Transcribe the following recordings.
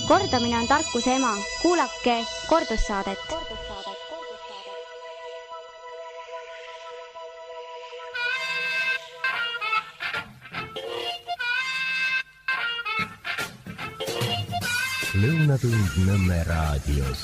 Kordamine on tarkuse ema. Kuulake kordussaadet. Lõunatund Nõmme raadios.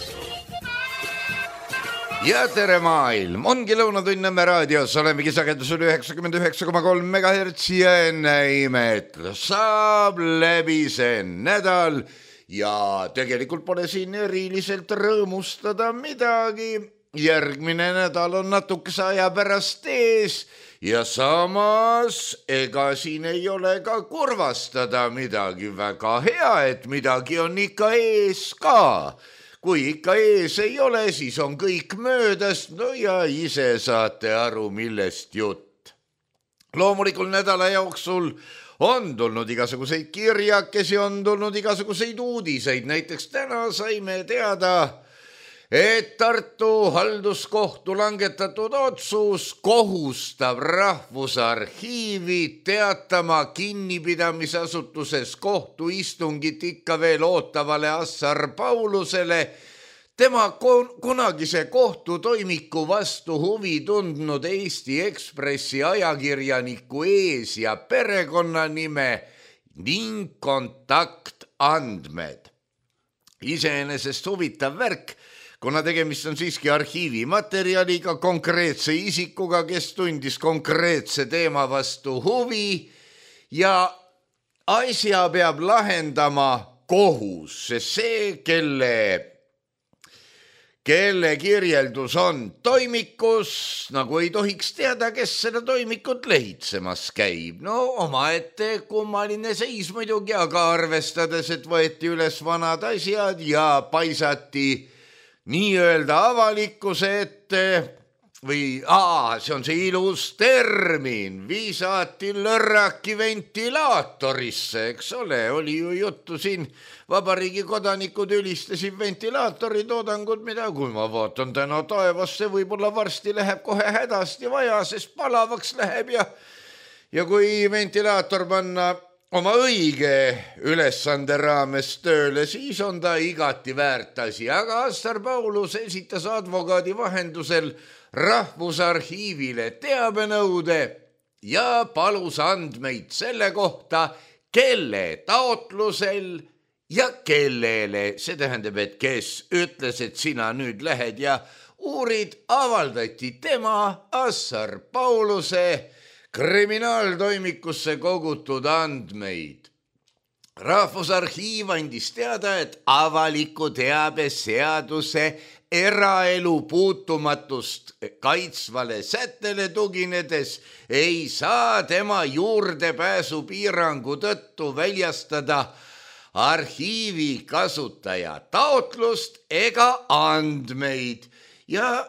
Ja tere maailm, ongi Lõunatund Nõmme raadios, olemegi sagedusel 99,3 MHz ja enne imet saab läbi see nädal ja tegelikult pole siin eriliselt rõõmustada midagi. Järgmine nädal on natukese aja pärast ees ja samas ega siin ei ole ka kurvastada midagi. Väga hea, et midagi on ikka ees ka. Kui ikka ees ei ole, siis on kõik möödas, no ja ise saate aru, millest jutt. Loomulikult nädala jooksul on tulnud igasuguseid kirjakesi, on tulnud igasuguseid uudiseid. Näiteks täna saime teada, et Tartu halduskohtu langetatud otsus kohustab Rahvusarhiivi teatama kinnipidamisasutuses kohtuistungit ikka veel ootavale Assar Paulusele tema kunagise kohtutoimiku vastu huvi tundnud Eesti Ekspressi ajakirjaniku ees- ja perekonnanime ning kontaktandmed. Iseenesest huvitav värk, kuna tegemist on siiski arhiivimaterjaliga, konkreetse isikuga, kes tundis konkreetse teema vastu huvi ja asja peab lahendama kohus, sest see, kelle kirjeldus on toimikus, nagu ei tohiks teada, kes seda toimikut lehitsemas käib. No omaette kummaline seis muidugi, aga arvestades, et võeti üles vanad asjad ja paisati nii-öelda avalikkuse ette või see on see ilus termin, viisati lörraki ventilaatorisse, eks ole, oli ju juttu siin, vabariigi kodanikud ülistasid ventilaatori toodangut, mida kui ma vaatan täna taevasse, võib-olla varsti läheb kohe hädasti vaja, sest palavaks läheb ja kui ventilaator panna oma õige ülesande raames tööle, siis on ta igati väärt asi, aga Assar Paulus esitas advokaadi vahendusel Rahvusarhiivile teabenõude ja palus andmeid selle kohta, kelle taotlusel ja kellele, see tähendab, et kes ütles, et sina nüüd lähed ja uurid, avaldati tema Assar Pauluse kriminaaltoimikusse kogutud andmeid. Rahvusarhiiv andis teada, et avaliku teabe seaduse eraelu puutumatust kaitsvale sättele tuginedes ei saa tema juurdepääsu piirangu tõttu väljastada arhiivi kasutaja taotlust ega andmeid ja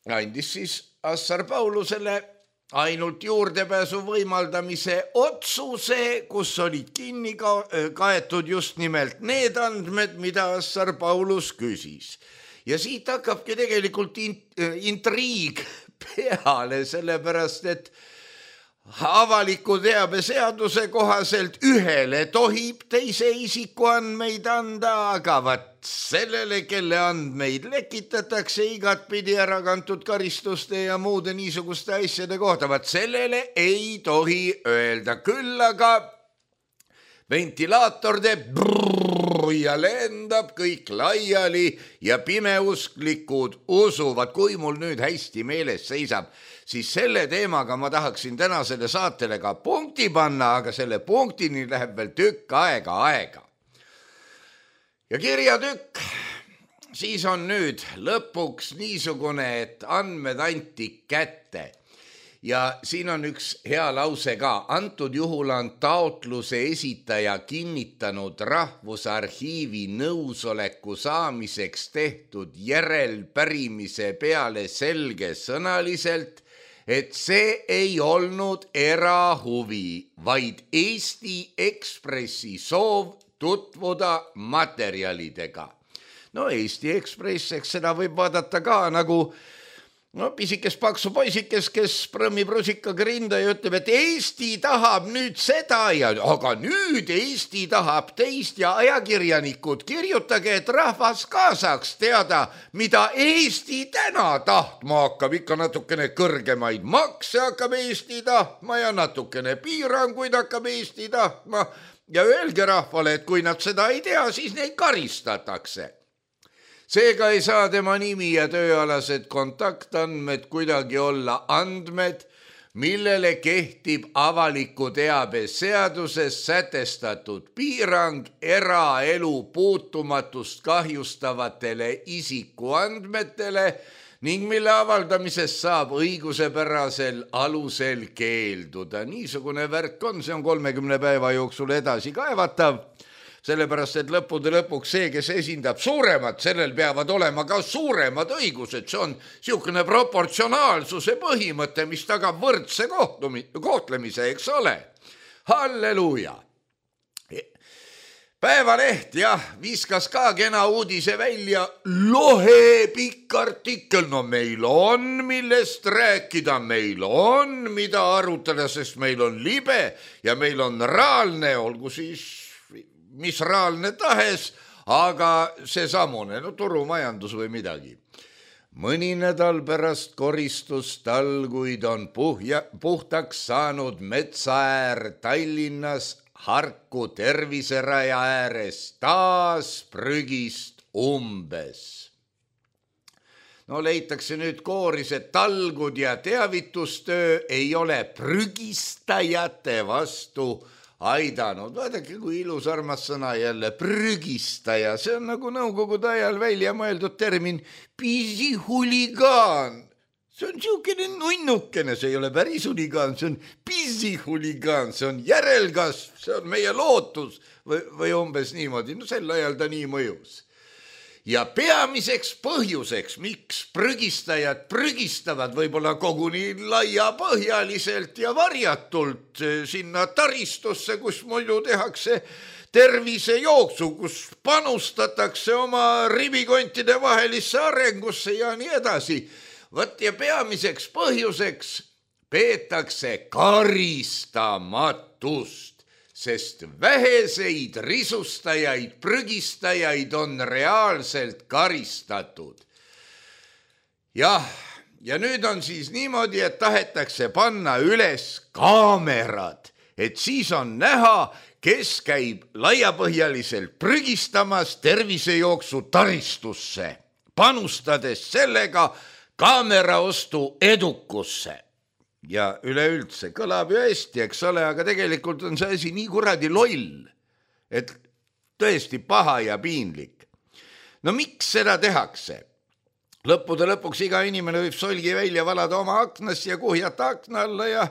andis siis Assar Paulusele ainult juurdepääsu võimaldamise otsuse, kus olid kinni kaetud just nimelt need andmed, mida Assar Paulus küsis. Ja siit hakkabki tegelikult intriig peale, sellepärast, et avaliku teabe seaduse kohaselt ühele tohib teise isiku andmeid anda, aga sellele, kelle andmeid lekitatakse igatpidi ära kantud karistuste ja muude niisuguste asjade kohta, sellele ei tohi öelda. Küll aga ventilaator teeb ja lendab kõik laiali ja pimeusklikud usuvad, kui mul nüüd hästi meeles seisab, siis selle teemaga ma tahaksin tänasele saatele ka punkti panna, aga selle punktini läheb veel tükk aega. Ja kirjatükk, siis on nüüd lõpuks niisugune, et andmed anti kätte. Ja siin on üks hea lause ka. Antud juhul on taotluse esitaja kinnitanud Rahvusarhiivi nõusoleku saamiseks tehtud järelpärimise peale selgesõnaliselt, et see ei olnud erahuvi, vaid Eesti Ekspressi soov tutvuda materjalidega. No Eesti Ekspress, eks seda võib vaadata ka nagu no pisikes paksu poisikes, kes prõmmib rusikaga rinda ja ütleb, et Eesti tahab nüüd seda ja aga nüüd Eesti tahab teist ja ajakirjanikud, kirjutage, et rahvas ka saaks teada, mida Eesti täna tahtma hakkab, ikka natukene kõrgemaid makse hakkab Eesti tahtma ja natukene piiranguid hakkab Eesti tahtma ja öelge rahvale, et kui nad seda ei tea, siis neid karistatakse. Seega ei saa tema nimi ja tööalased kontaktandmed kuidagi olla andmed, millele kehtib avaliku teabe seaduses sätestatud piirang eraelu puutumatust kahjustavatele isikuandmetele ning mille avaldamisest saab õigusepärasel alusel keelduda. Niisugune värk on, see on 30 päeva jooksul edasi kaevatav. Sellepärast, et lõppude lõpuks see, kes esindab suuremat, sellel peavad olema ka suuremad õigused. See on niisugune proportsionaalsuse põhimõte, mis tagab võrdse kohtlemise, eks ole. Halleluuja! Päevaleht, jah, viskas ka kena uudise välja. Lohe pikk artikkel, no meil on millest rääkida, meil on mida arutada, sest meil on libe ja meil on raalne, olgu siis mis raalne tahes, aga seesamune, no turumajandus või midagi. Mõni nädal pärast koristustalguid on puhtaks saanud metsaäär Tallinnas Harku terviseraja ääres taas prügist umbes. No leitakse nüüd kooris, et talgud ja teavitustöö ei ole prügistajate vastu aidanud. Vaadake, kui ilus armas sõna jälle, prügistaja. See on nagu nõukogude ajal välja mõeldud termin pisihuligaan. See on niisugune nunnukene, see ei ole päris huligaan, see on pisihuligaan, see on järelkasv, see on meie lootus või umbes niimoodi. No sel ajal ta nii mõjus. Ja peamiseks põhjuseks, miks prügistajad prügistavad võib-olla koguni laiapõhjaliselt ja varjatult sinna taristusse, kus muidu tehakse tervisejooksu, kus panustatakse oma ribikontide vahelisse arengusse ja nii edasi. Võt ja peamiseks põhjuseks peetakse karistamatust. Sest väheseid risustajaid, prügistajaid on reaalselt karistatud. Jah, ja nüüd on siis niimoodi, et tahetakse panna üles kaamerad, et siis on näha, kes käib laiapõhjaliselt prügistamas tervisejooksu taristusse, panustades sellega kaameraostu edukusse. Ja üleüldse kõlab ju hästi, eks ole, aga tegelikult on see asi nii kuradi loll, et tõesti paha ja piinlik. No miks seda tehakse? Lõppude lõpuks iga inimene võib solgi välja valada oma aknast ja kuhjata akna alla ja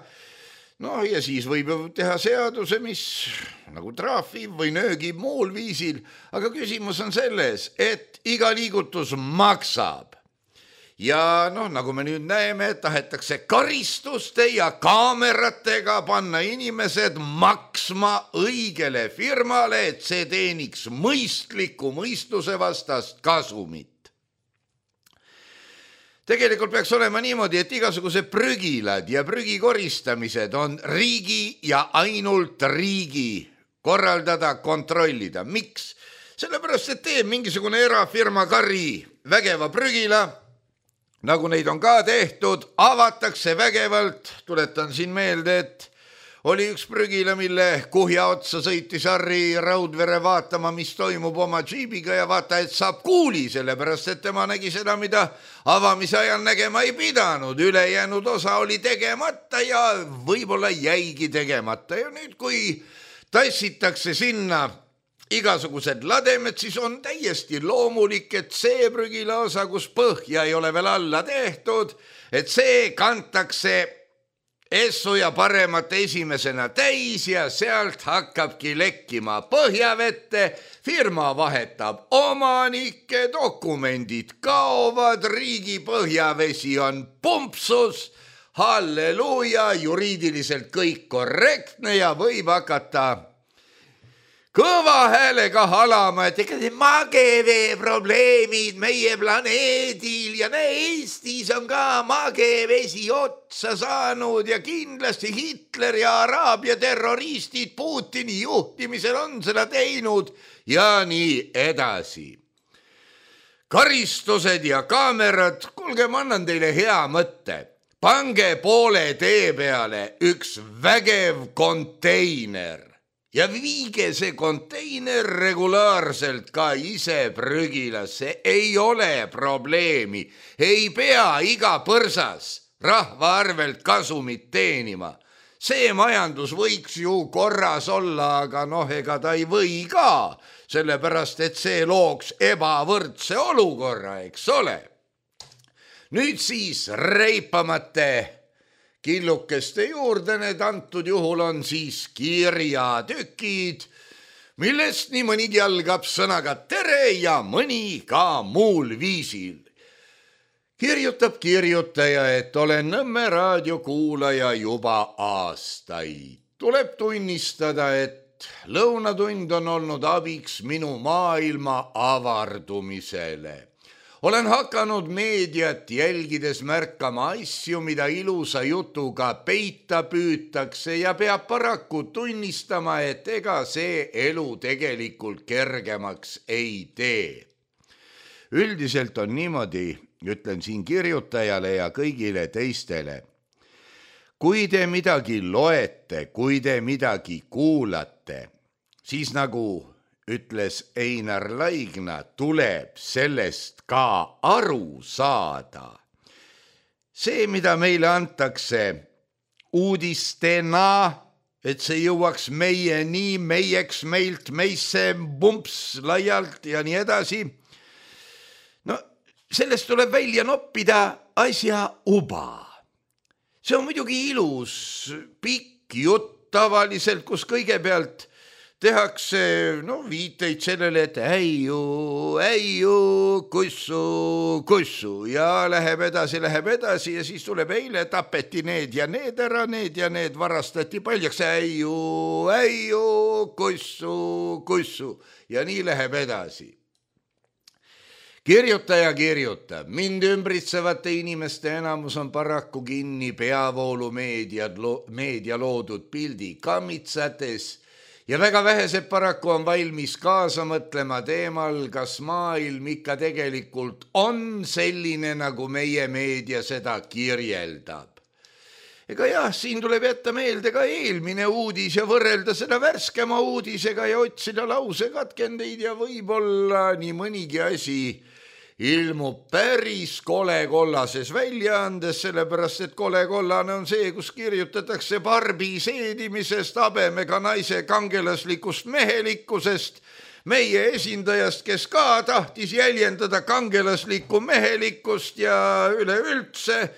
siis võib teha seaduse, mis nagu traafib või nöögib muul viisil, aga küsimus on selles, et iga liigutus maksab. Ja nagu me nüüd näeme, tahetakse karistuste ja kaameratega panna inimesed maksma õigele firmale, et see teeniks mõistliku mõistuse vastast kasumit. Tegelikult peaks olema niimoodi, et igasugused prügilad ja prügi koristamised on riigi ja ainult riigi korraldada, kontrollida. Miks? Sellepärast, et teeb mingisugune erafirma kari vägeva prügila, nagu neid on ka tehtud, avatakse vägevalt. Tuletan siin meelde, et oli üks prügila, mille kuhja otsa sõitis Harri Raudvere vaatama, mis toimub oma džiibiga ja vaata, et saab kuuli, sellepärast, et tema nägi seda, mida avamise ajal nägema ei pidanud. Ülejäänud osa oli tegemata ja võib-olla jäigi tegemata. Ja nüüd, kui tassitakse sinna igasugused lademed, siis on täiesti loomulik, et see prügila osa, kus põhja ei ole veel alla tehtud, et see kantakse essu ja paremat esimesena täis ja sealt hakkabki lekkima põhjavette, firma vahetab omanikke, dokumendid kaovad, riigi põhjavesi on pumpsus, halleluuja, juriidiliselt kõik korrektne ja võib hakata kõva häälega halama, et ega need magevee probleemid meie planeedil ja Eestis on ka magevesi otsa saanud ja kindlasti Hitler ja Araabia terroristid Putini juhtimisel on seda teinud ja nii edasi. Karistused ja kaamerad, kuulge, ma annan teile hea mõtte. Pange poole tee peale üks vägev konteiner ja viige see konteiner regulaarselt ka ise prügilasse. Ei ole probleemi, ei pea iga põrsas rahva arvelt kasumit teenima. See majandus võiks ju korras olla, aga ega ta ei või ka, sellepärast et see looks ebavõrdse olukorra, eks ole. Nüüd siis reipamate killukeste juurde, need antud juhul on siis kirjatükid, millest nii mõnigi algab sõnaga tere ja mõni ka muul viisil. Kirjutab kirjutaja, et olen Nõmme raadio kuulaja juba aastaid. Tuleb tunnistada, et lõunatund on olnud abiks minu maailma avardumisele. Olen hakanud meediat jälgides märkama asju, mida ilusa jutuga peita püütakse ja peab paraku tunnistama, et ega see elu tegelikult kergemaks ei tee. Üldiselt on niimoodi, ütlen siin kirjutajale ja kõigile teistele. Kui te midagi loete, kui te midagi kuulate, siis nagu ütles Einar Laigna, tuleb sellest ka aru saada. See, mida meile antakse uudistena, et see jõuaks meieni, meieks, meilt, meisse, bumps laialt ja nii edasi. No, sellest tuleb välja noppida asja uba. See on muidugi ilus, pikk jutt tavaliselt, kus kõigepealt tehakse viiteid sellele, et äiu, kussu ja läheb edasi ja siis tuleb eile tapeti need ja need ära, need ja need varastati paljaks, äiu, kussu ja nii läheb edasi. Kirjutaja kirjutab, mind ümbritsevate inimeste enamus on paraku kinni peavoolu meedia loodud pildi kammitsates ja väga vähesed paraku on valmis kaasa mõtlema teemal, kas maailm ikka tegelikult on selline, nagu meie meedia seda kirjeldab. Ega jah, siin tuleb jätta meelde ka eelmine uudis ja võrrelda seda värskema uudisega ja otsida lausekatkendeid ja võib-olla nii mõnigi asi ilmub päris kollases väljaandes, sellepärast et kollane on see, kus kirjutatakse Barbi seedimisest, habemega naise kangelaslikust mehelikkusest, meie esindajast, kes ka tahtis jäljendada kangelaslikku mehelikkust ja üleüldse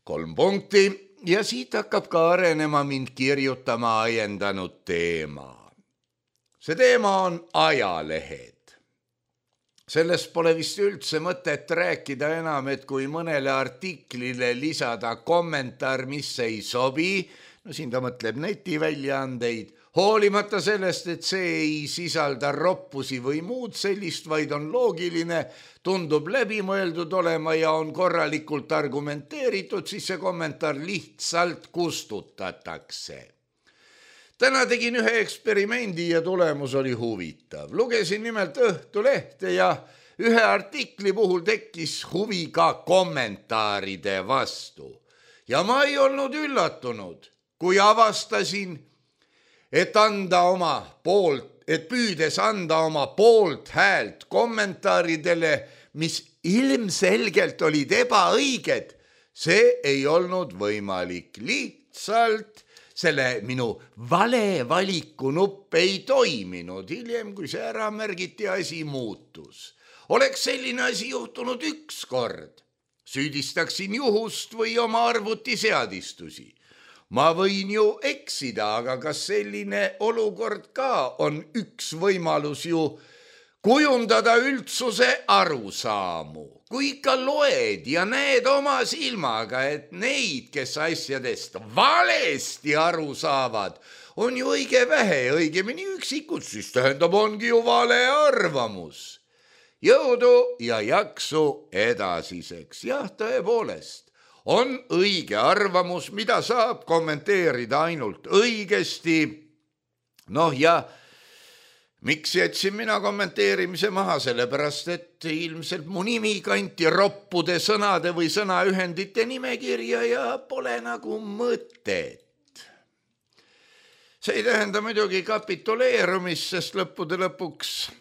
3 punkti ja siit hakkab ka arenema mind kirjutama ajendanud teema. See teema on ajalehed. Sellest pole vist üldse mõtet rääkida enam, et kui mõnele artiklile lisada kommentaar, mis ei sobi, siin ta mõtleb netiväljaandeid, hoolimata sellest, et see ei sisalda roppusi või muud sellist, vaid on loogiline, tundub läbimõeldud olema ja on korralikult argumenteeritud, siis see kommentaar lihtsalt kustutatakse. Täna tegin ühe eksperimendi ja tulemus oli huvitav. Lugesin nimelt Õhtulehte ja ühe artikli puhul tekkis huvi ka kommentaaride vastu. Ja ma ei olnud üllatunud, kui avastasin, et püüdes anda oma poolt häält kommentaaridele, mis ilmselgelt olid ebaõiged, see ei olnud võimalik. Lihtsalt selle minu vale valiku nupp ei toiminud. Hiljem, kui see ära märgiti, asi muutus. Oleks selline asi juhtunud üks kord. Süüdistaksin juhust või oma arvutiseadistusi. Ma võin ju eksida, aga kas selline olukord ka on üks võimalus ju kujundada üldsuse arusaamu. Kui ikka loed ja näed oma silmaga, et neid, kes asjadest valesti aru saavad, on ju õige vähe, õigemini üksikud, siis tähendab, ongi ju vale arvamus. Jõudu ja jaksu edasiseks. Jah, tõepoolest, on õige arvamus, mida saab kommenteerida ainult õigesti. Noh ja miks jätsin mina kommenteerimise maha, sellepärast, et ilmselt mu nimi kanti roppude sõnade või sõnaühendite nimekirja ja pole nagu mõtet. See ei tähenda muidugi kapituleerumist, sest lõppude lõpuks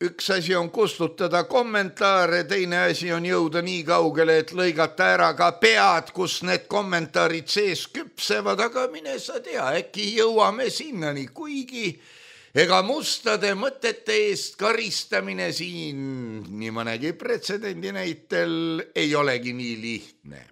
üks asi on kustutada kommentaare, teine asi on jõuda nii kaugele, et lõigata ära ka pead, kus need kommentaarid sees küpsevad, aga mine sa tea, äkki jõuame sinnani, kuigi ega mustade mõtete eest karistamine siin nii mõnegi pretsedendi näitel ei olegi nii lihtne.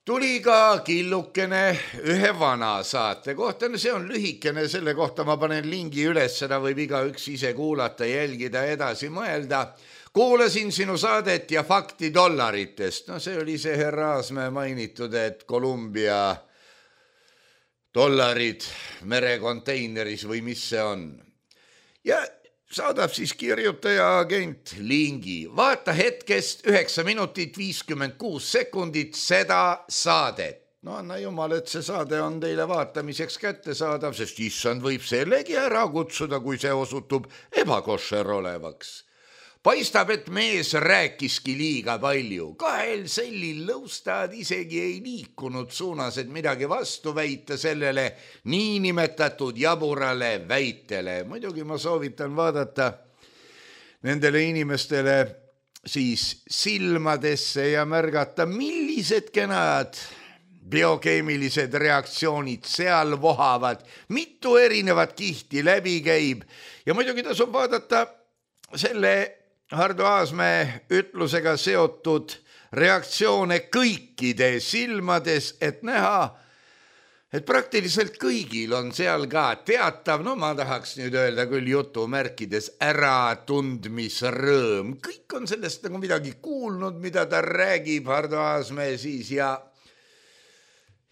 Tuli ka killukene ühe vana saate kohta, see on lühikene, selle kohta ma panen lingi üles, seda võib igaüks ise kuulata, jälgida, edasi mõelda. Kuulasin sinu saadet ja fakti dollaritest. No see oli see härra Aasmäe mainitud, et Kolumbia dollarid merekonteineris või mis see on. Ja saadab siis kirjutaja agent lingi. Vaata hetkest 9 minutit 56 sekundit seda saadet. No anna jumal, et see saade on teile vaatamiseks kättesaadav, sest issand võib sellegi ära kutsuda, kui see osutub ebakošer olevaks. Paistab, et mees rääkiski liiga palju. 2 sellil lõustad isegi ei liikunud suunas, et midagi vastu väita sellele niinimetatud jaburale väitele. Muidugi ma soovitan vaadata nendele inimestele siis silmadesse ja märgata, millised kenad biokeemilised reaktsioonid seal vohavad, mitu erinevat kihti läbi käib ja muidugi tasub vaadata selle Hardo Aasmäe ütlusega seotud reaktsioone kõikide silmades, et näha, et praktiliselt kõigil on seal ka teatav, no ma tahaks nüüd öelda küll jutumärkides, äratundmisrõõm. Kõik on sellest nagu midagi kuulnud, mida ta räägib, Hardo Aasmäe siis ja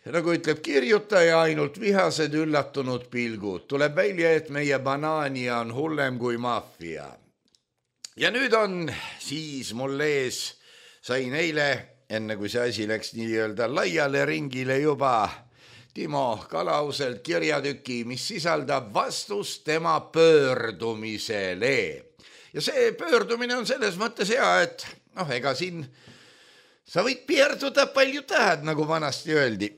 nagu ütleb kirjutaja, ainult vihased üllatunud pilgud. Tuleb välja, et meie banaania on hullem kui maffia. Ja nüüd on siis mul ees, sain eile, enne kui see asi läks nii-öelda laiale ringile juba, Timo Kalauselt kirjatüki, mis sisaldab vastust tema pöördumisele. Ja see pöördumine on selles mõttes hea, et ega siin sa võid piirduda palju tahad, nagu vanasti öeldi.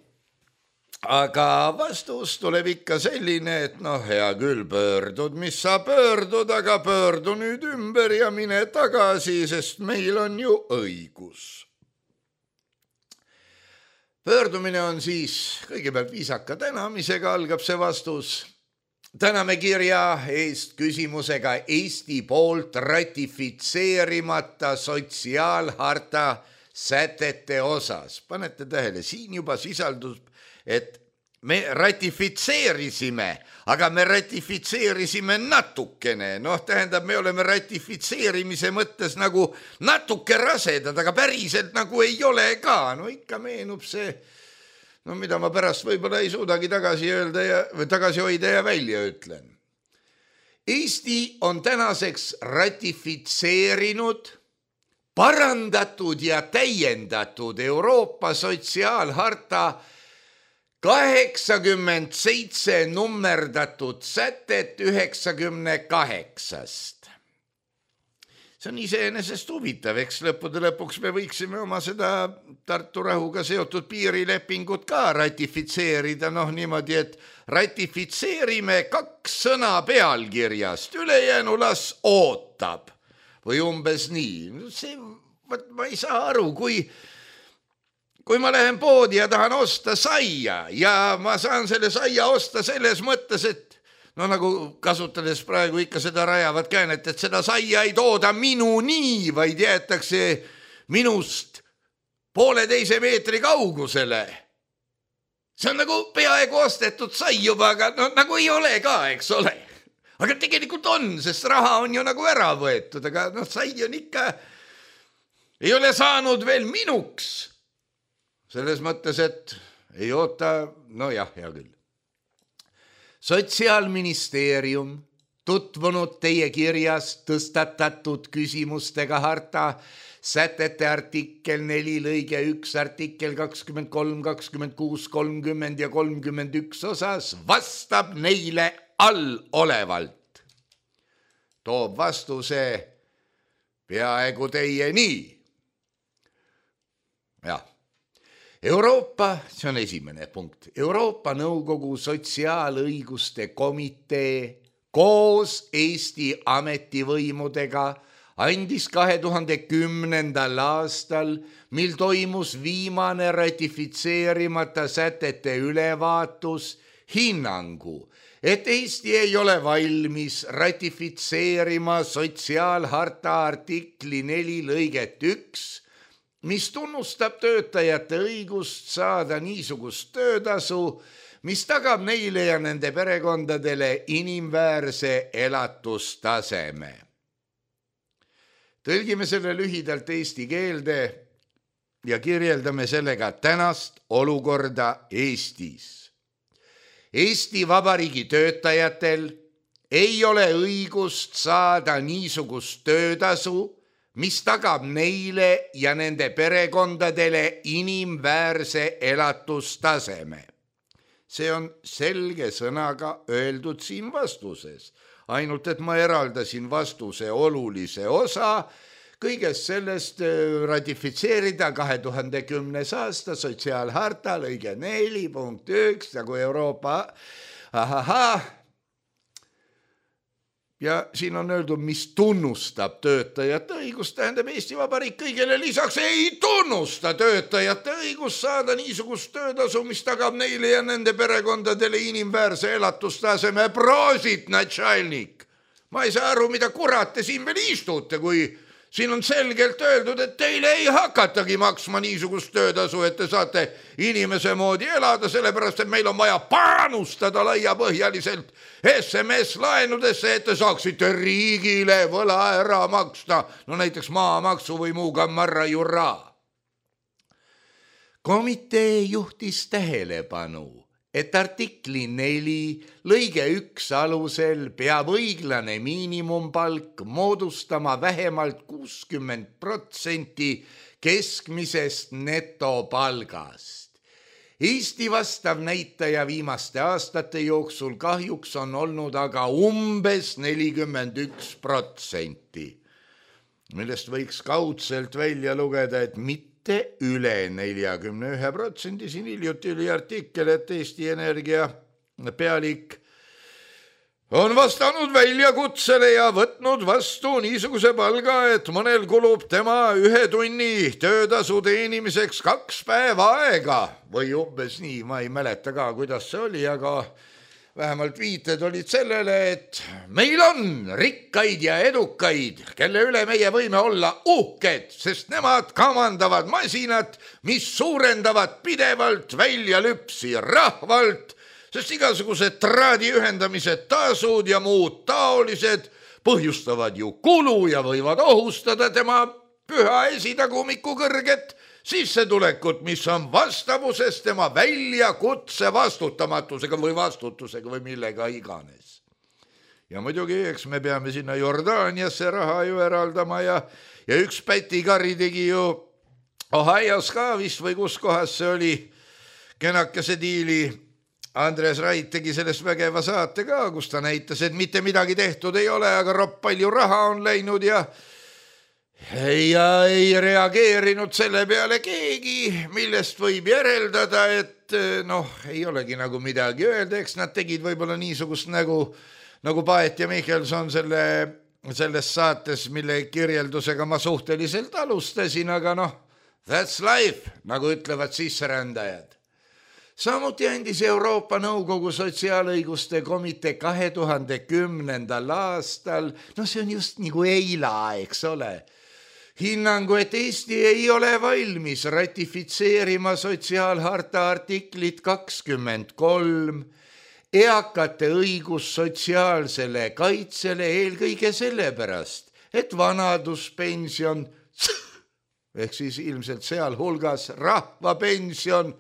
Aga vastus tuleb ikka selline, et hea küll, pöördud, mis sa pöördud, aga pöördu nüüd ümber ja mine tagasi, sest meil on ju õigus. Pöördumine on siis kõigepealt viisaka tänamisega algab see vastus. Täname kirja eest küsimusega Eesti poolt ratifitseerimata sotsiaalharta sätete osas. Panete tähele, siin juba sisaldus, et me ratifitseerisime, aga me ratifitseerisime natukene. Tähendab, me oleme ratifitseerimise mõttes nagu natuke rasedad, aga päriselt nagu ei ole ka. Ikka meenub see, mida ma pärast võib-olla ei suudagi tagasi hoida ja välja ütlen. Eesti on tänaseks ratifitseerinud parandatud ja täiendatud Euroopa sotsiaalharta 87 nummerdatud sätet 98-st. See on iseenesest huvitav, eks lõppude lõpuks me võiksime oma seda Tartu rahuga seotud piirilepingut ka ratifitseerida, niimoodi, et ratifitseerime 2 sõna pealkirjast, ülejäänu las ootab või umbes nii. Ma ei saa aru, kui ma lähen poodi ja tahan osta saia ja ma saan selle saia osta selles mõttes, et nagu kasutades praegu ikka seda rajavat käänet, et seda saia ei tooda minuni, vaid jäetakse minust 1,5 meetri kaugusele. See on nagu peaaegu ostetud sai juba, aga nagu ei ole ka, eks ole. Aga tegelikult on, sest raha on ju nagu ära võetud, aga sai on ikka, ei ole saanud veel minuks. Selles mõttes, et ei oota, no jah, hea küll. Sotsiaalministeerium tutvunud teie kirjas tõstatatud küsimustega harta sätete artikkel 4 lõige 1, artikkel 23, 26, 30 ja 31 osas vastab neile allolevalt. Toob vastuse peaaegu teieni. Jah. Euroopa, see on esimene punkt, Euroopa Nõukogu Sotsiaalõiguste Komitee koos Eesti ametivõimudega andis 2010. aastal, mil toimus viimane ratifitseerimata sätete ülevaatus, hinnangu, et Eesti ei ole valmis ratifitseerima sotsiaalharta artikli 4 lõiget 1, mis tunnustab töötajate õigust saada niisugust töötasu, mis tagab neile ja nende perekondadele inimväärse elatustaseme. Tõlgime selle lühidalt eesti keelde ja kirjeldame sellega tänast olukorda Eestis. Eesti Vabariigi töötajatel ei ole õigust saada niisugust töötasu, mis tagab neile ja nende perekondadele inimväärse elatustaseme. See on selge sõnaga öeldud siin vastuses, ainult et ma eraldasin vastuse olulise osa, kõigest sellest ratifitseerida 2010. aasta sotsiaalharta lõige 4 punkt 1 nagu Euroopa ja siin on öeldud, mis tunnustab töötajate õigust, tähendab Eesti Vabariik kõigele lisaks ei tunnusta töötajate õigust saada niisugust töötasu, mis tagab neile ja nende perekondadele inimväärse elatustaseme. Prosit, natšalnik! Ma ei saa aru, mida kurat te siin veel istute, kui siin on selgelt öeldud, et teile ei hakatagi maksma niisugust töötasu, et te saate inimese moodi elada, sellepärast, et meil on vaja panustada laiapõhjaliselt SMS-laenudesse, et te saaksite riigile võla ära maksta, no näiteks maamaksu või muu gammarra jurra. Komitee juhtis tähelepanu, et artikli 4 lõige 1 alusel peab õiglane miinimumpalk moodustama vähemalt 60% keskmisest netopalgast. Eesti vastav näitaja viimaste aastate jooksul kahjuks on olnud aga umbes 41%, millest võiks kaudselt välja lugeda, et mitte üle 41%. Siin hiljuti oli artikkel, et Eesti Energia pealik on vastanud väljakutsele ja võtnud vastu niisuguse palga, et mõnel kulub tema 1 tunni töötasu teenimiseks 2 päeva aega või umbes nii, ma ei mäleta ka, kuidas see oli, aga vähemalt viited olid sellele, et meil on rikkaid ja edukaid, kelle üle meie võime olla uhked, sest nemad kamandavad masinat, mis suurendavad pidevalt väljalüpsi rahvalt, sest igasugused traadi ühendamised tasud ja muud taolised põhjustavad ju kulu ja võivad ohustada tema püha esitagumiku kõrget sissetulekut, mis on vastavuses tema väljakutse vastutamatusega või vastutusega või millega iganes. Ja muidugi, eks me peame sinna Jordaaniasse raha ju eraldama ja üks pätikari tegi ju Ohios ka vist või kus kohas see oli kenakese diili. Andres Rait tegi sellest vägeva saate ka, kus ta näitas, et mitte midagi tehtud ei ole, aga ropp palju raha on läinud ja ei reageerinud selle peale keegi, millest võib järeldada, et ei olegi nagu midagi öelda, eks nad tegid võib-olla niisugust nagu Paet ja Michelson selles saates, mille kirjeldusega ma suhteliselt alustasin, aga that's life, nagu ütlevad sisserändajad. Samuti andis Euroopa Nõukogu Sotsiaalõiguste Komitee 2010. aastal, see on just nagu eila, eks ole, hinnangu, et Eesti ei ole valmis ratifitseerima sotsiaalharta artiklit 23, eakate õigus sotsiaalsele kaitsele eelkõige sellepärast, et vanaduspension, ehk siis ilmselt sealhulgas rahvapension,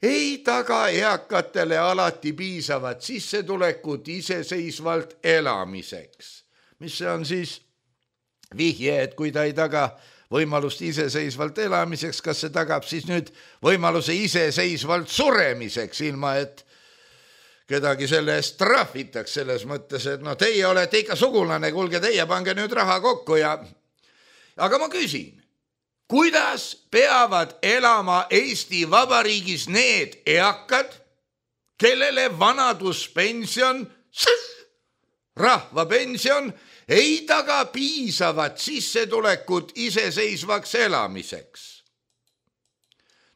ei taga eakatele alati piisavat sissetulekut iseseisvalt elamiseks. Mis see on siis? Vihje, et kui ta ei taga võimalust iseseisvalt elamiseks, kas see tagab siis nüüd võimaluse iseseisvalt suremiseks, ilma et kedagi selle eest trahvitaks selles mõttes, et teie olete ikka sugulane, kuulge, teie pange nüüd raha kokku ja... Aga ma küsin, kuidas peavad elama Eesti Vabariigis need eakad, kellele vanaduspension, rahvapension ei taga piisavat sissetulekut iseseisvaks elamiseks?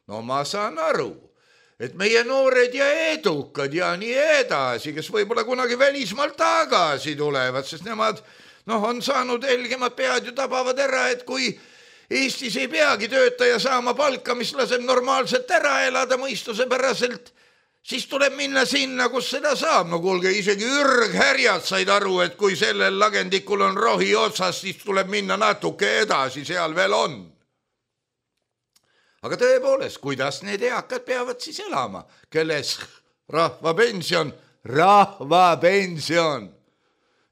No ma saan aru, et meie noored ja edukad ja nii edasi, kes võib-olla kunagi välismaalt tagasi tulevad, sest nemad on saanud helgemad pead ja tabavad ära, et kui Eestis ei peagi töötaja saama palka, mis laseb normaalselt ära elada mõistusepäraselt, siis tuleb minna sinna, kus seda saab. No kuulge, isegi ürghärjad said aru, et kui sellel lagendikul on rohi otsas, siis tuleb minna natuke edasi, seal veel on. Aga tõepoolest, kuidas need eakad peavad siis elama, kelles rahvapension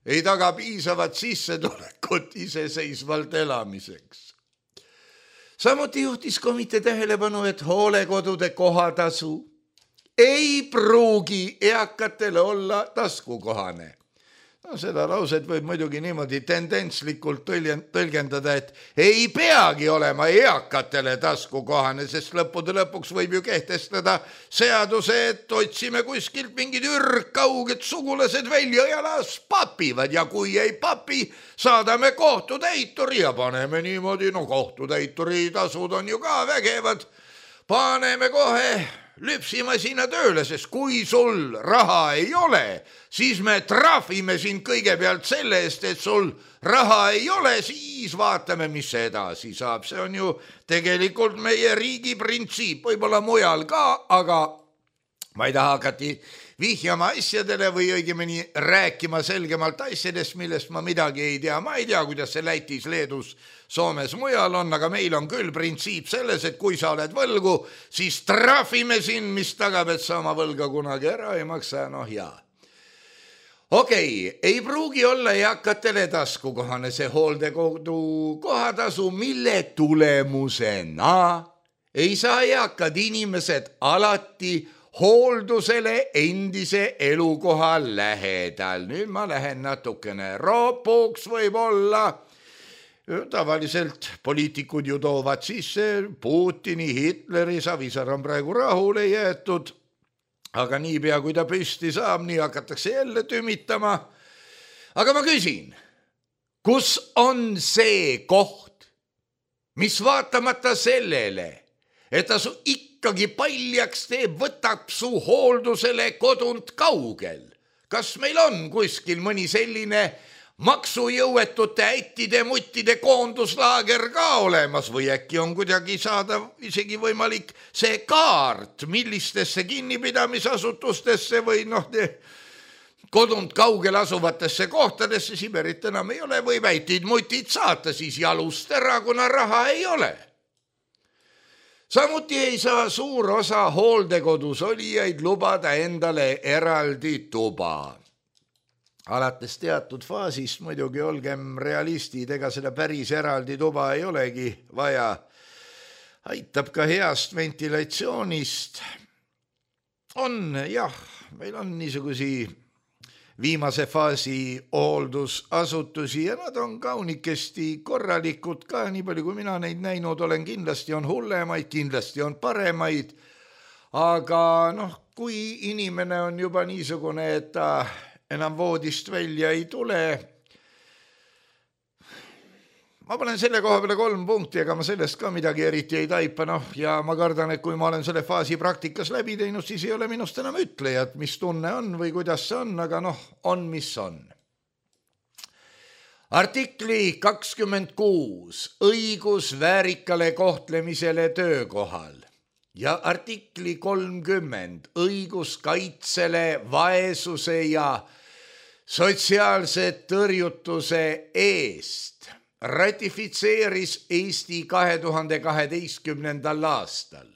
ei taga piisavat sissetulekut iseseisvalt elamiseks. Samuti juhtis komitee tähelepanu, et hoolekodude kohatasu ei pruugi eakatele olla taskukohane. Seda lauset võib muidugi niimoodi tendentslikult tõlgendada, et ei peagi olema eakatele taskukohane, sest lõppude lõpuks võib ju kehtestada seaduse, et otsime kuskilt mingid kauged sugulased välja ja las papivad ja kui ei papi, saadame kohtutäituri ja paneme niimoodi, kohtutäituri tasud on ju ka vägevad, paneme kohe lüpsimasina tööle, sest kui sul raha ei ole, siis me trahvime sind kõigepealt selle eest, et sul raha ei ole, siis vaatame, mis edasi saab. See on ju tegelikult meie riigi printsiip, võib-olla mujal ka, aga ma ei taha hakati vihjama asjadele või õigemini rääkima selgemalt asjadest, millest ma midagi ei tea. Ma ei tea, kuidas see Lätis, Leedus, Soomes, mujal on, aga meil on küll printsiip selles, et kui sa oled võlgu, siis trahvime sind, mis tagab, et sa oma võlga kunagi ära ei maksa. Okei, ei pruugi olla eakatele taskukohane see hooldekodu kohatasu, mille tulemusena ei saa eakad inimesed alati hooldusele endise elukoha lähedal. Nüüd ma lähen natukene ropuks võib-olla. Tavaliselt poliitikud ju toovad sisse Putini, Hitleri, Savisaar on praegu rahule jäetud, aga niipea kui ta püsti saab, nii hakatakse jälle tümitama. Aga ma küsin, kus on see koht, mis vaatamata sellele, et ta su ikkagi paljaks teeb, võtab su hooldusele kodunt kaugel? Kas meil on kuskil mõni selline maksujõuetute ättide muttide koonduslaager ka olemas või äkki on kuidagi saada isegi võimalik see kaart, millistesse kinnipidamisasutustesse või kodunt kaugel asuvatesse kohtadesse, Siberit enam ei ole, võib ätid mutid saata siis jalust ära, kuna raha ei ole. Samuti ei saa suur osa hooldekodus olijaid lubada endale eraldi tuba. Alates teatud faasist muidugi olgem realistid, ega seda päris eraldi tuba ei olegi vaja. Aitab ka heast ventilatsioonist. Meil on niisugusi viimase faasi hooldusasutusi ja nad on kaunikesti korralikud ka, nii palju kui mina neid näinud olen, kindlasti on hullemaid, kindlasti on paremaid, aga kui inimene on juba niisugune, et ta enam voodist välja ei tule. Ma panen selle koha peale 3 punkti, ega ma sellest ka midagi eriti ei taipa, ja ma kardan, et kui ma olen selle faasi praktikas läbi teinud, siis ei ole minust enam ütlejat, mis tunne on või kuidas see on, aga on mis on. Artikli 26 õigus väärikale kohtlemisele töökohal ja artikli 30 õigus kaitsele vaesuse ja sotsiaalse tõrjutuse eest ratifitseeris Eesti 2012. aastal.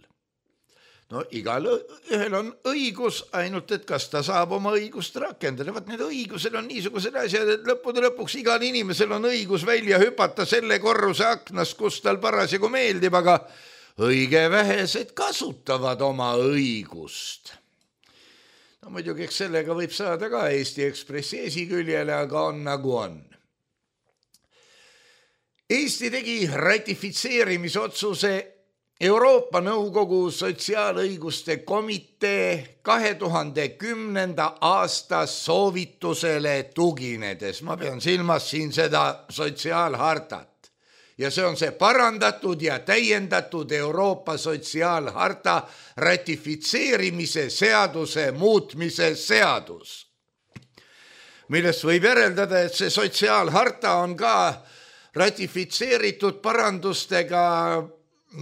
No igal ühel on õigus, ainult et kas ta saab oma õigust rakendada. Vaat need õigused on niisugused asjad, et lõppude lõpuks igal inimesel on õigus välja hüpata selle korruse aknast, kus tal parasjagu meeldib, aga õige vähesed kasutavad oma õigust. No muidugi, eks sellega võib saada ka Eesti Ekspressi esiküljele, aga on nagu on. Eesti tegi ratifitseerimisotsuse Euroopa Nõukogu Sotsiaalõiguste Komitee 2010. aasta soovitusele tuginedes. Ma pean silmas siin seda sotsiaalhartat. Ja see on see parandatud ja täiendatud Euroopa sotsiaalharta ratifitseerimise seaduse muutmise seadus, millest võib järeldada, et see sotsiaalharta on ka ratifitseeritud parandustega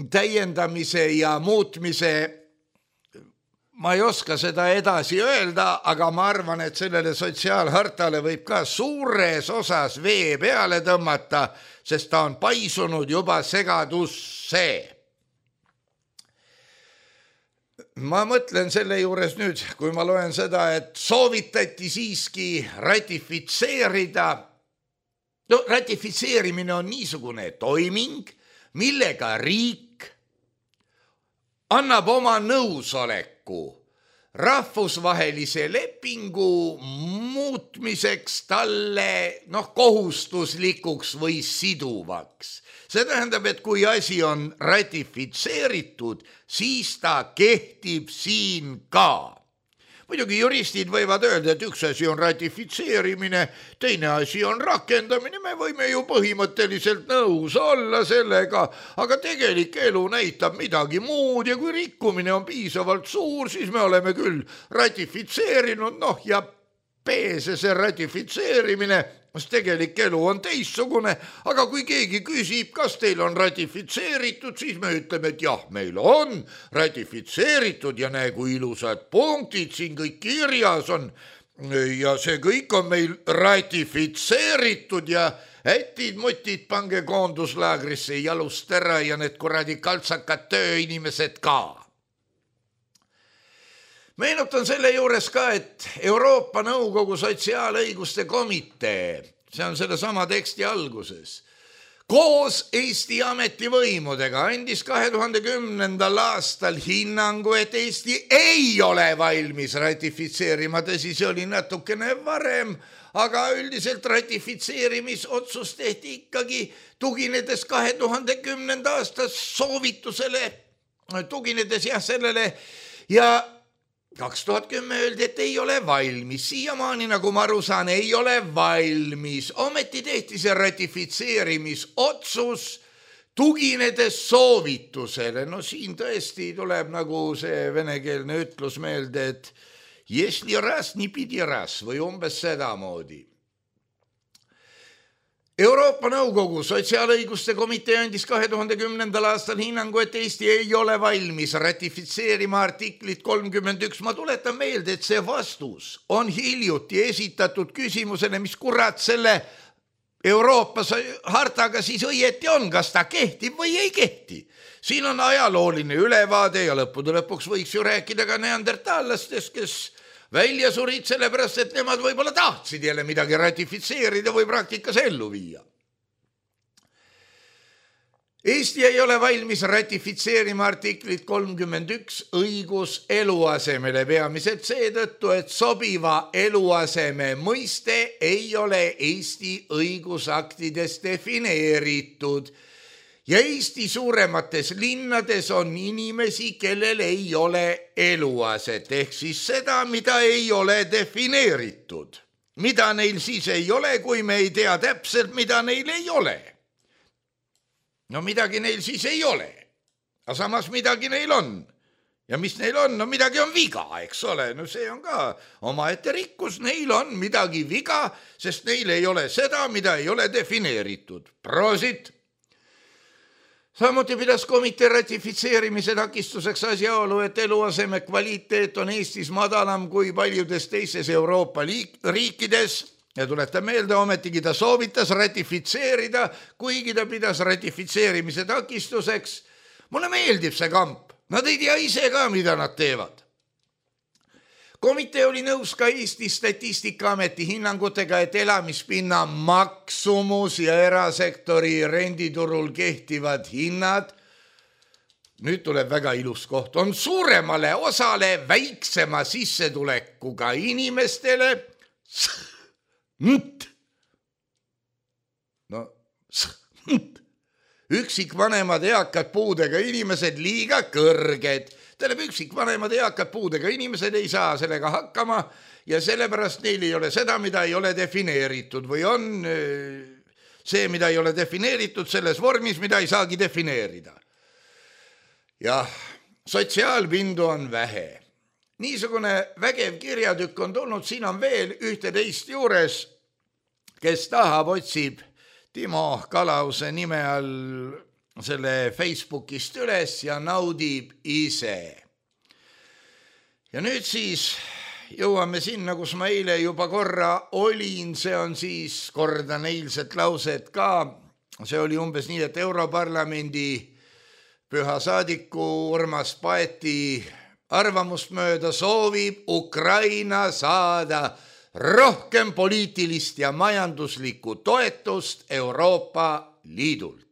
täiendamise ja muutmise. Ma ei oska seda edasi öelda, aga ma arvan, et sellele sotsiaalhartale võib ka suures osas vee peale tõmmata, sest ta on paisunud juba segadusse. Ma mõtlen selle juures nüüd, kui ma loen seda, et soovitati siiski ratifitseerida. No ratifitseerimine on niisugune toiming, millega riik annab oma nõusoleku rahvusvahelise lepingu muutmiseks talle kohustuslikuks või siduvaks. See tähendab, et kui asi on ratifitseeritud, siis ta kehtib siin ka. Muidugi juristid võivad öelda, et üks asi on ratifitseerimine, teine asi on rakendamine, me võime ju põhimõtteliselt nõus olla sellega, aga tegelik elu näitab midagi muud ja kui rikkumine on piisavalt suur, siis me oleme küll ratifitseerinud, ja peese see ratifitseerimine, sest tegelik elu on teistsugune, aga kui keegi küsib, kas teil on ratifitseeritud, siis me ütleme, et jah, meil on ratifitseeritud ja näe, kui ilusad punktid siin kõik kirjas on ja see kõik on meil ratifitseeritud ja ätid-mutid pange koonduslaagrisse jalust ära ja need kuradi kaltsakad tööinimesed ka. Meenutan selle juures ka, et Euroopa Nõukogu Sotsiaalõiguste Komitee, see on selle sama teksti alguses, koos Eesti ametivõimudega andis 2010. aastal hinnangu, et Eesti ei ole valmis ratifitseerima, tõsi, see oli natukene varem, aga üldiselt ratifitseerimisotsus tehti ikkagi tuginedes 2010. aasta soovitusele, tuginedes sellele ja 2010 öeldi, et ei ole valmis. Siiamaani, nagu ma aru saan, ei ole valmis. Ometi tehti see ratifitseerimisotsus tuginedes soovitusele. No siin tõesti tuleb nagu see venekeelne ütlus meelde, et если раз, не pidi раз või umbes sedamoodi. Euroopa Nõukogu Sotsiaalõiguste Komitee andis 2010. aastal hinnangu, et Eesti ei ole valmis ratifitseerima artiklit 31. Ma tuletan meelde, et see vastus on hiljuti esitatud küsimusele, mis kurat selle Euroopa hartaga siis õieti on, kas ta kehtib või ei kehti. Siin on ajalooline ülevaade ja lõppude lõpuks võiks ju rääkida ka neandertallastest, kes välja surid sellepärast, et nemad võib-olla tahtsid jälle midagi ratifitseerida või praktikas ellu viia. Eesti ei ole valmis ratifitseerima artiklit 31 õigus eluasemele peamiselt seetõttu, et sobiva eluaseme mõiste ei ole Eesti õigusaktides defineeritud ja Eesti suuremates linnades on inimesi, kellel ei ole eluaset, ehk siis seda, mida ei ole defineeritud. Mida neil siis ei ole, kui me ei tea täpselt, mida neil ei ole? No midagi neil siis ei ole, aga samas midagi neil on. Ja mis neil on? No midagi on viga, eks ole. No see on ka omaette rikkus, neil on midagi viga, sest neil ei ole seda, mida ei ole defineeritud. Prosit! Samuti pidas komitee ratifitseerimise takistuseks asjaolu, et eluaseme kvaliteet on Eestis madalam kui paljudes teistes Euroopa riikides ja tuletan meelde, ometigi ta soovitas ratifitseerida, kuigi ta pidas ratifitseerimise takistuseks. Mulle meeldib see kamp. Nad ei tea ise ka, mida nad teevad. Komitee oli nõus ka Eesti Statistikaameti hinnangutega, et elamispinna maksumus ja erasektori renditurul kehtivad hinnad, nüüd tuleb väga ilus koht, on suuremale osale väiksema sissetulekuga inimestele üksikvanemad eakad puudega inimesed liiga kõrged. Tähendab, üksikvanemad eakad puudega inimesed ei saa sellega hakkama ja sellepärast neil ei ole seda, mida ei ole defineeritud või on see, mida ei ole defineeritud selles vormis, mida ei saagi defineerida. Jah, sotsiaalpindu on vähe. Niisugune vägev kirjatükk on tulnud, siin on veel 11 juures, kes tahab, otsib Timo Kalause nime all selle Facebookist üles ja naudib ise. Ja nüüd siis jõuame sinna, kus ma eile juba korra olin, see on siis, kordan eilset lauset ka, see oli umbes nii, et Europarlamendi püha saadiku Urmas Paeti arvamust mööda soovib Ukraina saada rohkem poliitilist ja majanduslikku toetust Euroopa Liidult.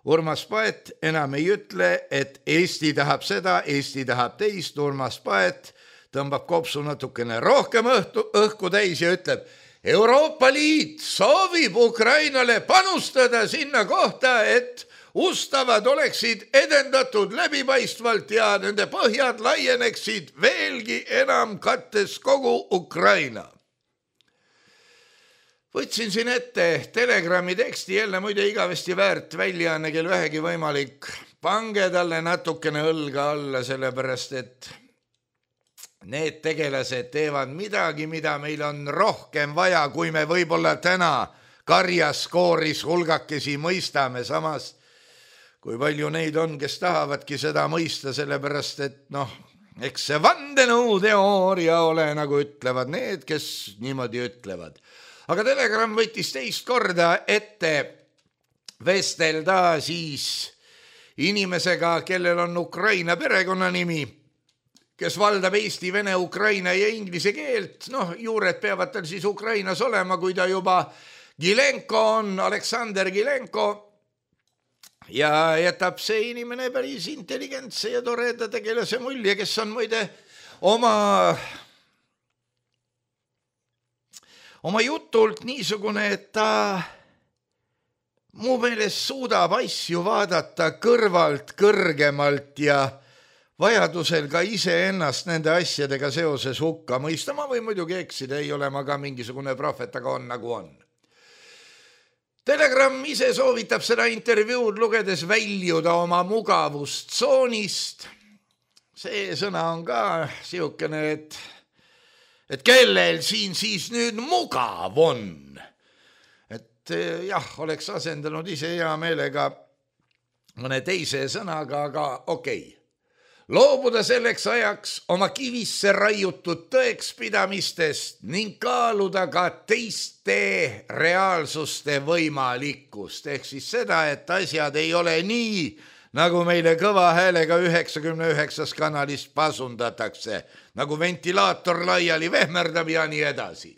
Urmas Paet enam ei ütle, et Eesti tahab seda, Eesti tahab teist. Urmas Paet tõmbab kopsu natukene rohkem õhku täis ja ütleb, Euroopa Liit soovib Ukrainale panustada sinna kohta, et ustavad oleksid edendatud läbipaistvalt ja nende põhjad laieneksid veelgi enam kattes kogu Ukraina. Võtsin siin ette Telegrami teksti, jälle muide igavesti väärt väljaanne, kel vähegi võimalik. Pange talle natukene õlga alla, sellepärast et need tegelased teevad midagi, mida meil on rohkem vaja, kui me võib-olla täna karjaskooris hulgakesi mõistame. Samas, kui palju neid on, kes tahavadki seda mõista, sellepärast et eks see vandenõuteooria ole, nagu ütlevad need, kes niimoodi ütlevad. Aga Telegram võttis teist korda ette vestelda siis inimesega, kellel on Ukraina perekonnanimi, kes valdab eesti, vene, ukraina ja inglise keelt. Juured peavad tal siis Ukrainas olema, kui ta juba Gilenko on, Aleksander Gilenko. Ja jätab see inimene päris intelligentse ja toreda tegelase mulje, kes on muide oma jutult niisugune, et ta mu meelest suudab asju vaadata kõrvalt, kõrgemalt ja vajadusel ka iseennast nende asjadega seoses hukka mõista. Ma või muidugi eksida, ei ole ma ka mingisugune prohvet, aga on nagu on. Telegram ise soovitab seda intervjuud lugedes väljuda oma mugavustsoonist. See sõna on ka siukene, et kellel siin siis nüüd mugav on. Et jah, oleks asendanud ise hea meelega mõne teise sõnaga, aga okei. Loobuda selleks ajaks oma kivisse raiutud tõekspidamistest ning kaaluda ka teiste reaalsuste võimalikkust. Ehk siis seda, et asjad ei ole nii, nagu meile kõva häälega 99 kanalist pasundatakse, nagu ventilaator laiali vehmerdab ja nii edasi.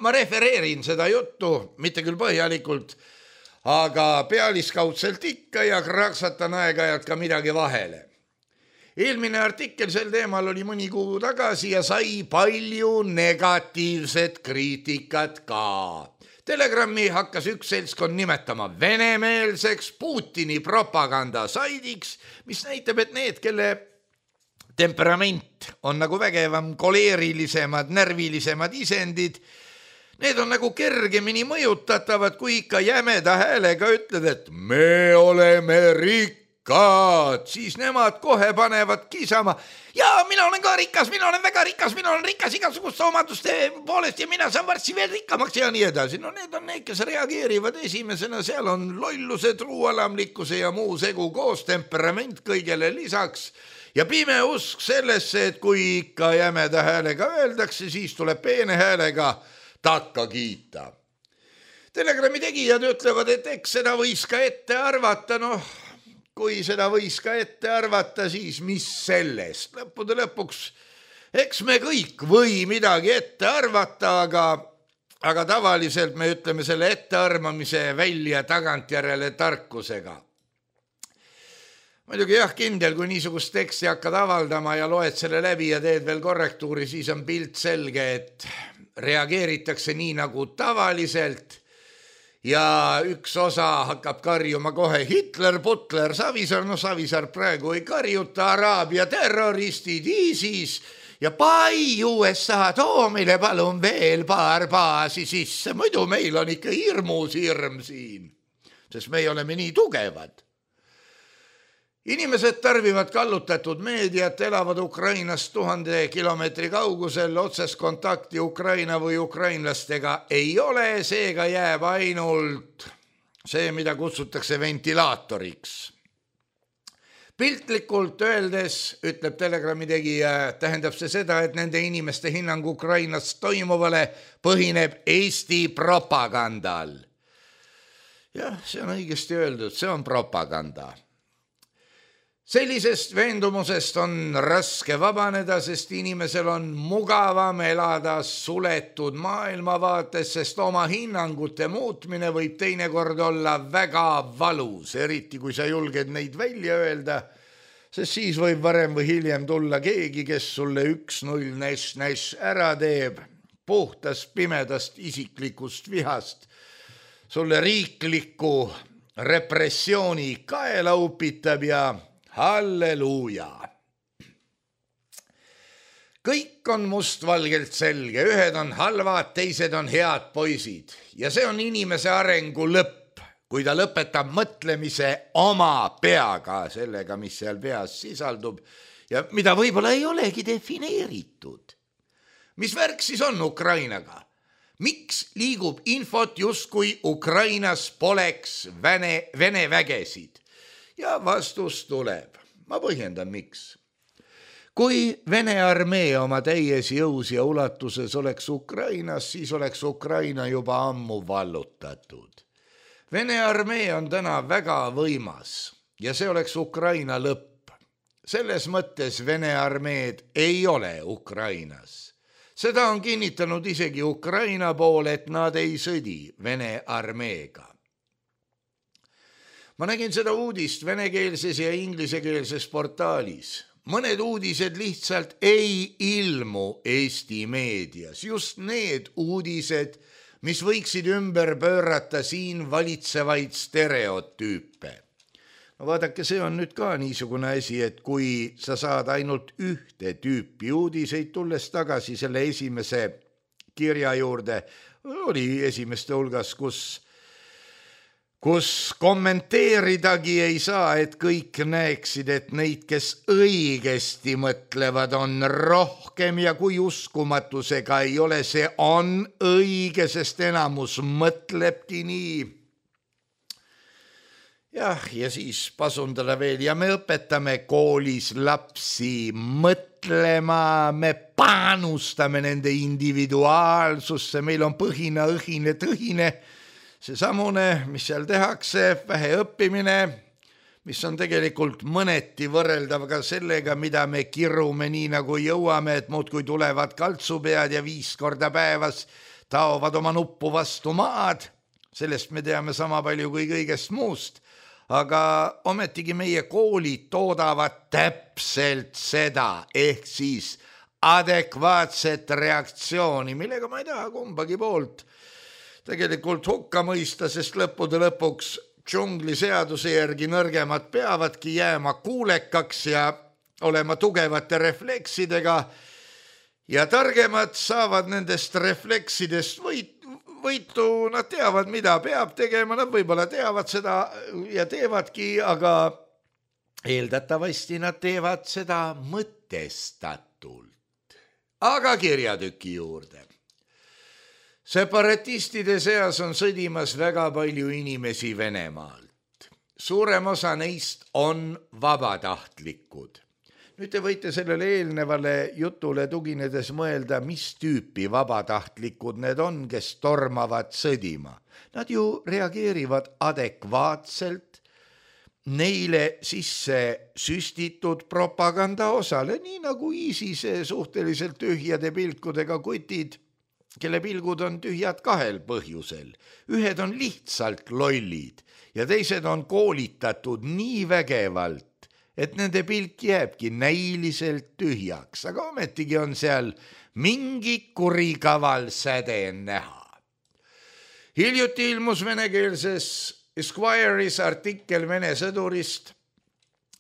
Ma refereerin seda juttu, mitte küll põhjalikult, aga pealiskaudselt ikka ja kraksatan aeg-ajalt ka midagi vahele. Eelmine artikkel sel teemal oli mõni kuu tagasi ja sai palju negatiivset kriitikat ka. Telegrami hakkas üks seltskond nimetama venemeelseks Putini propagandasaidiks, mis näitab, et need, kelle temperament on nagu vägevam, koleerilisemad, närvilisemad isendid, need on nagu kergemini mõjutatavad, kui ikka jämeda häälega ütled, et me oleme rikkad, siis nemad kohe panevad kisama. Ja mina olen ka rikas, mina olen väga rikas, mina olen rikas igasuguste omaduste poolest ja mina saan varsti veel rikkamaks ja nii edasi. Need on need, kes reageerivad esimesena, seal on lolluse, truualamlikkuse ja muu segu koos, temperament kõigele lisaks ja pime usk sellesse, et kui ikka jämeda häälega öeldakse, siis tuleb peene häälega takka kiita. Telegrami tegijad ütlevad, et eks seda võis ka ette arvata, kui seda võis ka ette arvata, siis mis sellest? Lõppude lõpuks, eks me kõik või midagi ette arvata, aga tavaliselt me ütleme selle ettearvamise välja tagantjärele tarkusega. Muidugi jah, kindel, kui niisugust teksti hakkad avaldama ja loed selle läbi ja teed veel korrektuuri, siis on pilt selge, et reageeritakse nii nagu tavaliselt ja üks osa hakkab karjuma kohe Hitler, Butler, Savisaar, no Savisaar praegu ei karjuta, Araabia terroristid, ISIS ja pai USA, too meile palun veel paar baasi sisse, muidu meil on ikka hirmus hirm siin, sest me oleme nii tugevad. Inimesed tarbivad kallutatud meediat, elavad Ukrainast 1000 kilomeetri kaugusel, otsest kontakti Ukraina või ukrainlastega ei ole, seega jääb ainult see, mida kutsutakse ventilaatoriks. Piltlikult öeldes, ütleb Telegrami tegija, tähendab see seda, et nende inimeste hinnang Ukrainas toimuvale põhineb Eesti propagandal. Jah, see on õigesti öeldud, see on propaganda. Sellisest veendumusest on raske vabaneda, sest inimesel on mugavam elada suletud maailmavaates, sest oma hinnangute muutmine võib teinekord olla väga valus, eriti kui sa julged neid välja öelda, sest siis võib varem või hiljem tulla keegi, kes sulle 1-0 näš ära teeb, puhtast pimedast isiklikust vihast, sulle riikliku repressiooni kaela upitab ja halleluuja. Kõik on mustvalgelt selge, ühed on halvad, teised on head poisid ja see on inimese arengu lõpp, kui ta lõpetab mõtlemise oma peaga, sellega, mis seal peas sisaldub ja mida võib-olla ei olegi defineeritud. Mis värk siis on Ukrainaga? Miks liigub infot justkui Ukrainas poleks Vene vägesid? Ja vastus tuleb. Ma põhjendan, miks. Kui Vene armee oma täies jõus ja ulatuses oleks Ukrainas, siis oleks Ukraina juba ammu vallutatud. Vene armee on täna väga võimas ja see oleks Ukraina lõpp. Selles mõttes Vene armeed ei ole Ukrainas. Seda on kinnitanud isegi Ukraina pool, et nad ei sõdi Vene armeega. Ma nägin seda uudist venekeelses ja inglisekeelses portaalis. Mõned uudised lihtsalt ei ilmu Eesti meedias. Just need uudised, mis võiksid ümber pöörata siin valitsevaid stereotüüpe. No vaadake, see on nüüd ka niisugune asi, et kui sa saad ainult ühte tüüpi uudiseid, tulles tagasi selle esimese kirja juurde, oli esimeste hulgas, kus kommenteeridagi ei saa, et kõik näeksid, et neid, kes õigesti mõtlevad, on rohkem ja kui uskumatusega ei ole, see on õige, sest enamus mõtlebki nii. Jah, ja siis pasundada veel ja me õpetame koolis lapsi mõtlema, me panustame nende individuaalsusse, meil on põhina, õhine, tõhine, see samune, mis seal tehakse, vähe õppimine, mis on tegelikult mõneti võrreldav ka sellega, mida me kirume nii nagu jõuame, et muudkui tulevad kaltsupead ja 5 korda päevas taovad oma nuppu vastu maad. Sellest me teame sama palju kui kõigest muust, aga ometigi meie koolid toodavad täpselt seda, ehk siis adekvaatset reaktsiooni, millega ma ei taha kumbagi poolt tegelikult hukka mõista, sest lõppude lõpuks džungli seaduse järgi nõrgemad peavadki jääma kuulekaks ja olema tugevate refleksidega ja targemad saavad nendest refleksidest võitu, nad teavad, mida peab tegema, nad võib-olla teavad seda ja teevadki, aga eeldatavasti nad teevad seda mõtestatult. Aga kirjatüki juurde. Separatistide seas on sõdimas väga palju inimesi Venemaalt. Suurem osa neist on vabatahtlikud. Nüüd te võite sellele eelnevale jutule tuginedes mõelda, mis tüüpi vabatahtlikud need on, kes tormavad sõdima. Nad ju reageerivad adekvaatselt neile sisse süstitud propaganda osale, nii nagu ISISe suhteliselt tühjade pilkudega kutid, kelle pilgud on tühjad kahel põhjusel. Ühed on lihtsalt lollid ja teised on koolitatud nii vägevalt, et nende pilk jääbki näiliselt tühjaks, aga ometigi on seal mingi kurikaval säde näha. Hiljuti ilmus venekeelses Esquire'is artikkel Vene sõdurist,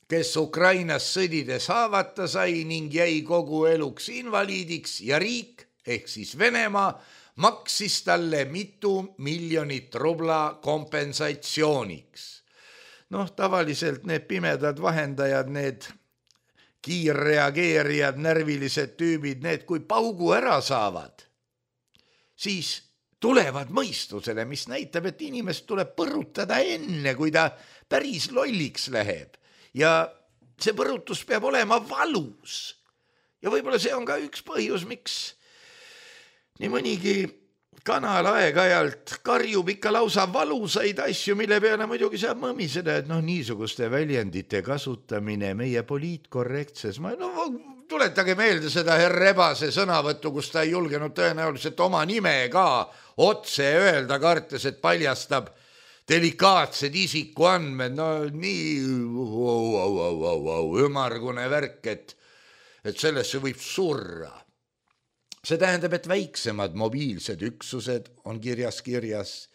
kes Ukrainas sõdides haavata sai ning jäi kogu eluks invaliidiks ja riik ehk siis Venemaa maksis talle mitu miljonit rubla kompensatsiooniks. Tavaliselt need pimedad vahendajad, need kiirreageerijad, närvilised tüübid, need kui paugu ära saavad, siis tulevad mõistusele, mis näitab, et inimest tuleb põrutada enne, kui ta päris lolliks läheb. Ja see põrutus peab olema valus. Ja võib-olla see on ka üks põhjus, miks nii mõnigi kanal aeg-ajalt karjub ikka lausa valusaid asju, mille peale muidugi saab mõmiseda, et niisuguste väljendite kasutamine meie poliitkorrektses. Tuletage meelde seda Rebase sõnavõttu, kus ta ei julgenud tõenäoliselt oma nime ka otse öelda, kartes, et paljastab delikaatsed isikuandmed. Nii ümargune värk, et sellesse võib surra. See tähendab, et väiksemad mobiilsed üksused on kirjas.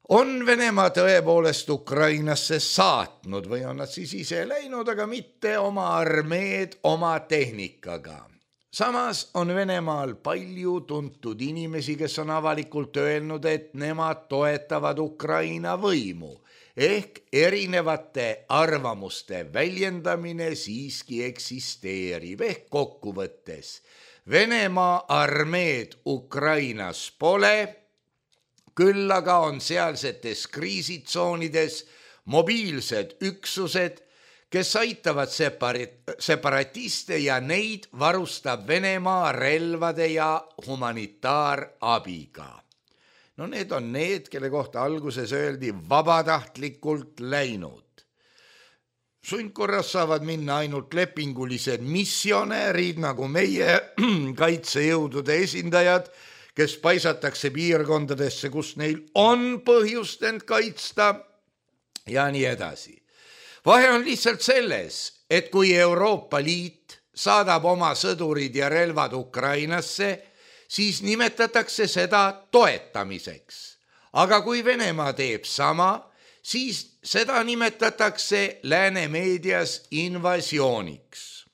On Venemaa tõepoolest Ukrainasse saatnud või on nad siis ise läinud, aga mitte oma armeed oma tehnikaga. Samas on Venemaal palju tuntud inimesi, kes on avalikult öelnud, et nemad toetavad Ukraina võimu. Ehk erinevate arvamuste väljendamine siiski eksisteerib. Ehk kokkuvõttes Venemaa armeed Ukrainas pole, küll aga on sealsetes kriisitsoonides mobiilsed üksused, kes aitavad separatiste ja neid varustab Venemaa relvade ja humanitaarabiga. Need on need, kelle kohta alguses öeldi vabatahtlikult läinud. Sundkorras saavad minna ainult lepingulised missionäärid, nagu meie kaitsejõudude esindajad, kes paisatakse piirkondadesse, kus neil on põhjust end kaitsta ja nii edasi. Vahe on lihtsalt selles, et kui Euroopa Liit saadab oma sõdurid ja relvad Ukrainasse, siis nimetatakse seda toetamiseks. Aga kui Venemaa teeb sama, siis seda nimetatakse lääne meedias invasiooniks.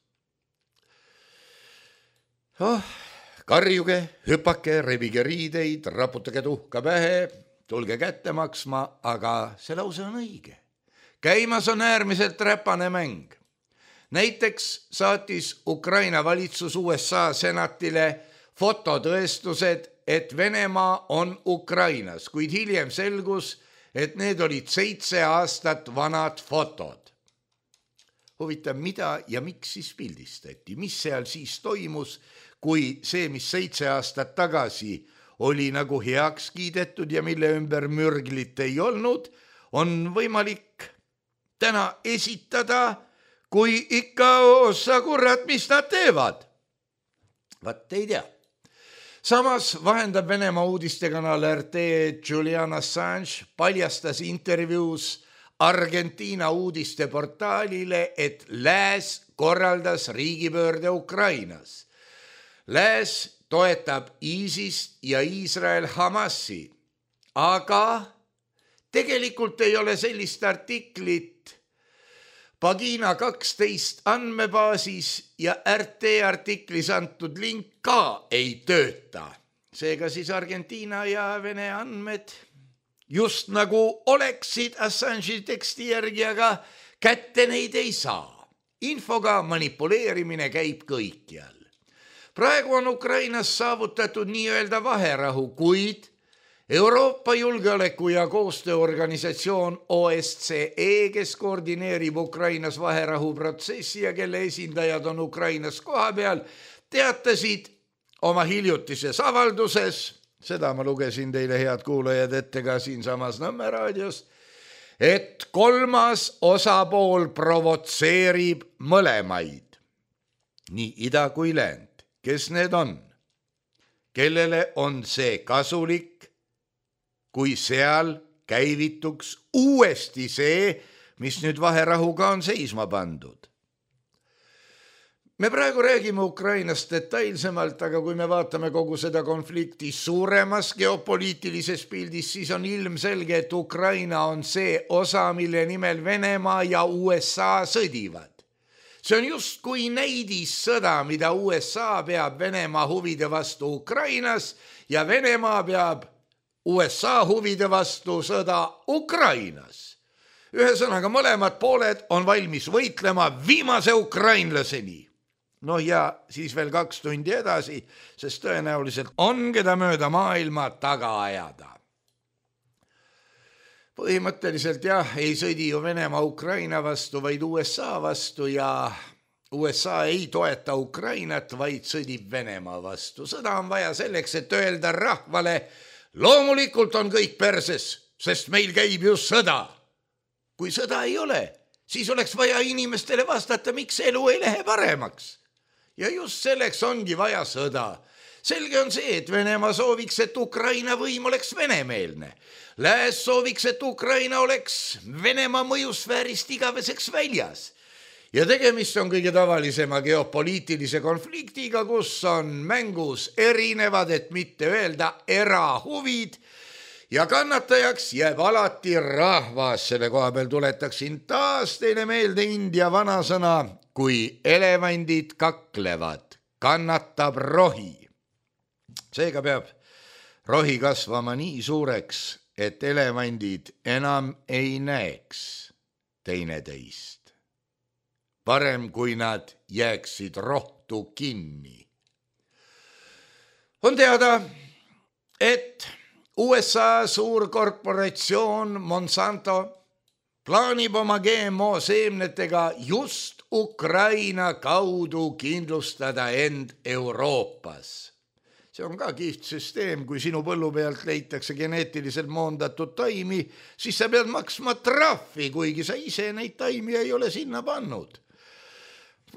Karjuge, hüpake, rebige riideid, raputage tuhka pähe, tulge kätte maksma, aga see lause on õige. Käimas on äärmiselt räpane mäng. Näiteks saatis Ukraina valitsus USA senatile fototõestused, et Venemaa on Ukrainas, kuid hiljem selgus, et need olid 7 aastat vanad fotod. Huvitav, mida ja miks siis pildistati? Mis seal siis toimus, kui see, mis 7 aastat tagasi oli nagu heaks kiidetud ja mille ümber mürglit ei olnud, on võimalik täna esitada, kui ikka osa kurat, mis nad teevad? Vat ei tea. Samas vahendab Venemaa uudistekanal RT Julian Assange paljastas intervjuus Argentiina uudisteportaalile, et Lääs korraldas riigipöörde Ukrainas. Lääs toetab ISIS ja Iisrael Hamasi, aga tegelikult ei ole sellist artiklit Pagina 12 andmebaasis ja RT artiklis antud link ka ei tööta. Seega siis Argentiina ja Vene andmed just nagu oleksid Assange'i teksti järgi, aga kätte neid ei saa. Infoga manipuleerimine käib kõikjal. Praegu on Ukrainas saavutatud nii-öelda vaherahu, kuid Euroopa julgeoleku- ja koostööorganisatsioon OSCE, kes koordineerib Ukrainas vaherahuprotsessi ja kelle esindajad on Ukrainas kohapeal, teatasid oma hiljutises avalduses, seda ma lugesin teile, head kuulajad, ette ka siinsamas Nõmme raadios, et kolmas osapool provotseerib mõlemaid, nii ida kui läänd. Kes need on? Kellele on see kasulik, kui seal käivituks uuesti see, mis nüüd vaherahuga on seisma pandud? Me praegu räägime Ukrainast detailsemalt, aga kui me vaatame kogu seda konflikti suuremas geopoliitilises pildis, siis on ilmselge, et Ukraina on see osa, mille nimel Venemaa ja USA sõdivad. See on justkui näidissõda, mida USA peab Venemaa huvide vastu Ukrainas ja Venemaa peab USA huvide vastu sõda Ukrainas. Ühesõnaga, mõlemad pooled on valmis võitlema viimase ukrainlaseni. No ja siis veel 2 tundi edasi, sest tõenäoliselt on keda mööda maailma taga ajada. Põhimõtteliselt ei sõdi ju Venemaa Ukraina vastu, vaid USA vastu ja USA ei toeta Ukrainat, vaid sõdib Venemaa vastu. Sõda on vaja selleks, et öelda rahvale, loomulikult on kõik perses, sest meil käib ju sõda. Kui sõda ei ole, siis oleks vaja inimestele vastata, miks elu ei lähe paremaks. Ja just selleks ongi vaja sõda. Selge on see, et Venemaa sooviks, et Ukraina võim oleks venemeelne. Lääs sooviks, et Ukraina oleks Venemaa mõjusfäärist igaveseks väljas. Ja tegemist on kõige tavalisema geopoliitilise konfliktiga, kus on mängus erinevad, et mitte öelda erahuvid, ja kannatajaks jääb alati rahvas. Selle koha peal tuletaksin taas teile meelde India vanasõna, kui elevandid kaklevad, kannatab rohi. Seega peab rohi kasvama nii suureks, et elevandid enam ei näeks teineteist. Parem, kui nad jääksid rohtu kinni. On teada, et USA suurkorporatsioon Monsanto plaanib oma GMO seemnetega just Ukraina kaudu kindlustada end Euroopas. See on ka kihvt süsteem, kui sinu põllu pealt leitakse geneetiliselt moondatud taimi, siis sa pead maksma trahvi, kuigi sa ise neid taimi ei ole sinna pannud.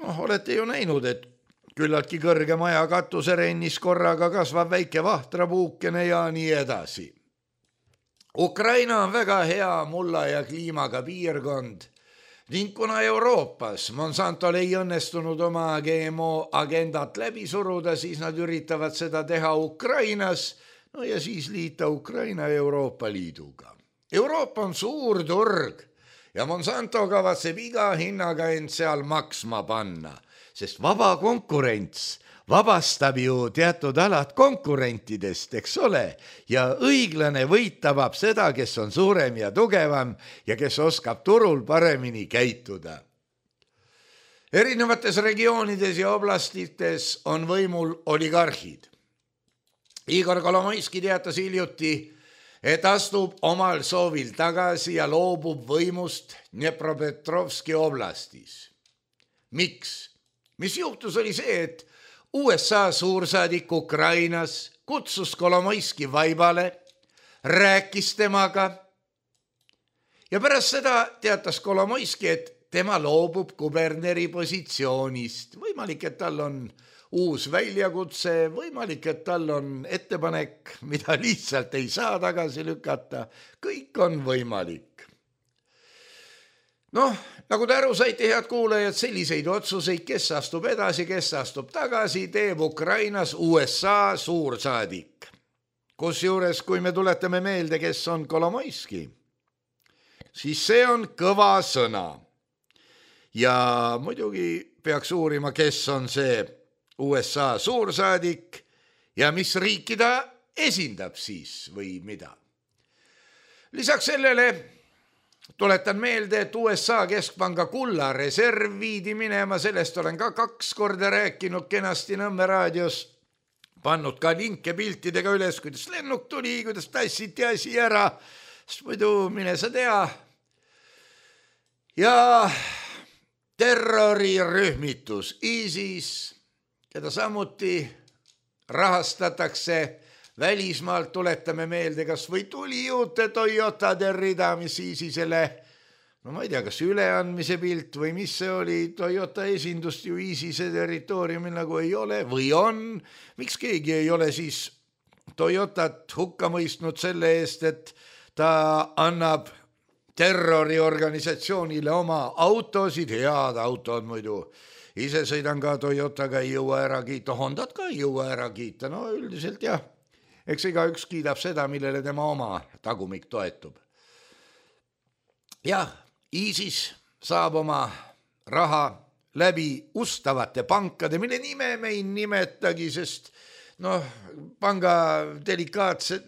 Olete ju näinud, et küllaltki kõrge maja katuserennis korraga kasvab väike vahtrapuukene ja nii edasi. Ukraina on väga hea mulla ja kliimaga piirkond ning kuna Euroopas Monsantol ei õnnestunud oma GMO agendat läbi suruda, siis nad üritavad seda teha Ukrainas, no ja siis liita Ukraina Euroopa Liiduga. Euroopa on suur turg ja Monsanto kavatseb iga hinnaga end seal maksma panna, sest vaba konkurents vabastab ju teatud alad konkurentidest, eks ole, ja õiglane võit tabab seda, kes on suurem ja tugevam ja kes oskab turul paremini käituda. Erinevates regioonides ja oblastites on võimul oligarhid. Igor Kolomoiski teatas hiljuti, et astub omal soovil tagasi ja loobub võimust Dnepropetrovski oblastis. Miks? Mis juhtus oli see, et USA suursaadik Ukrainas kutsus Kolomoiski vaibale, rääkis temaga ja pärast seda teatas Kolomoiski, et tema loobub kuberneri positsioonist. Võimalik, et tal on uus väljakutse, võimalik, et tal on ettepanek, mida lihtsalt ei saa tagasi lükata. Kõik on võimalik. Nagu te aru saite, head kuulajad, selliseid otsuseid, kes astub edasi, kes astub tagasi, teeb Ukrainas USA suursaadik. Kusjuures, kui me tuletame meelde, kes on Kolomoiski, siis see on kõva sõna. Ja muidugi peaks uurima, kes on see USA suursaadik ja mis riiki ta esindab siis või mida. Lisaks sellele tuletan meelde, et USA keskpanga kulla reserv viidi minema, sellest olen ka 2 korda rääkinud kenasti Nõmme raadios, pannud ka linke piltidega üles, kuidas lennuk tuli, kuidas tassiti asi ära, sest muidu mine sa tea. Ja terrorirühmitus ISIS, keda samuti rahastatakse välismaalt tuletame meelde, kas või tuli juurde Toyotade rida, mis Iisisele, no ma ei tea, kas üleandmise pilt või mis see oli, Toyota esindust ju Iisise territooriumil nagu ei ole või on, miks keegi ei ole siis Toyotat hukka mõistnud selle eest, et ta annab terroriorganisatsioonile oma autosid, head autod muidu. Ise sõidan ka Toyotaga, ei jõua ära kiita, Hondat ka ei jõua ära kiita, no üldiselt jah, eks igaüks kiidab seda, millele tema oma tagumik toetub. Jah, ISIS saab oma raha läbi ustavate pankade, mille nime me ei nimetagi, sest noh, panga delikaatse,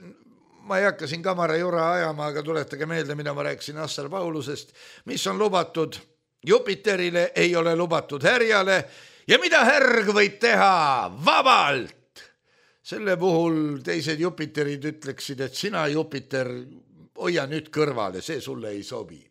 ma ei hakka siin kamara jura ajama, aga tuletage meelde, mida ma rääkisin Assar Paulusest, mis on lubatud Jupiterile, ei ole lubatud härjale ja mida härg võib teha vabalt. Selle puhul teised Jupiterid ütleksid, et sina Jupiter, hoia nüüd kõrvale, see sulle ei sobi.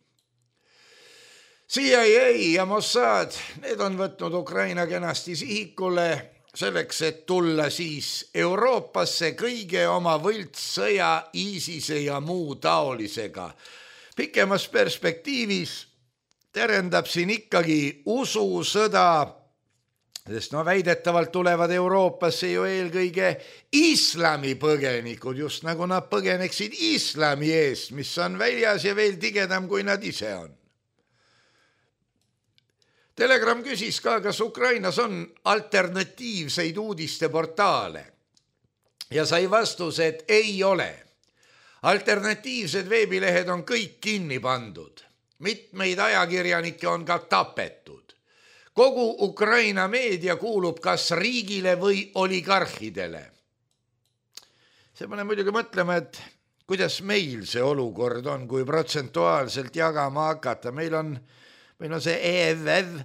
CIA ja Mossad, need on võtnud Ukraina kenasti sihikule selleks, et tulla siis Euroopasse kõige oma võltssõja, ISISe ja muu taolisega. Pikemas perspektiivis terendab siin ikkagi ususõda, sest no väidetavalt tulevad Euroopasse ju eelkõige islami põgenikud, just nagu nad põgeneksid islami eest, mis on väljas ja veel tigedam, kui nad ise on. Telegram küsis ka, kas Ukrainas on alternatiivseid uudisteportaale ja sai vastuse, et ei ole. Alternatiivsed veebilehed on kõik kinni pandud. Mitmeid ajakirjanikke on ka tapetud. Kogu Ukraina meedia kuulub kas riigile või oligarhidele. See paneb muidugi mõtlema, et kuidas meil see olukord on, kui protsentuaalselt jagama hakata. Meil on see EFF,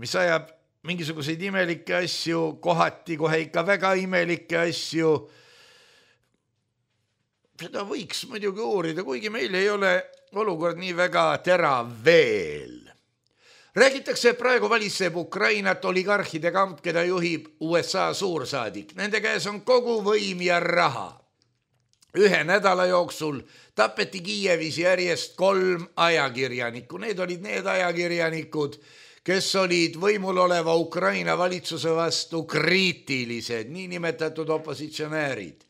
mis ajab mingisuguseid imelikke asju, kohati kohe ikka väga imelikke asju. Seda võiks muidugi uurida, kuigi meil ei ole olukord nii väga terav veel. Räägitakse, et praegu valitseb Ukrainat oligarhide kamp, keda juhib USA suursaadik. Nende käes on kogu võim ja raha. 1 nädala jooksul tapeti Kiievis järjest 3 ajakirjanikku. Need olid need ajakirjanikud, kes olid võimul oleva Ukraina valitsuse vastu kriitilised, niinimetatud opositsionäärid.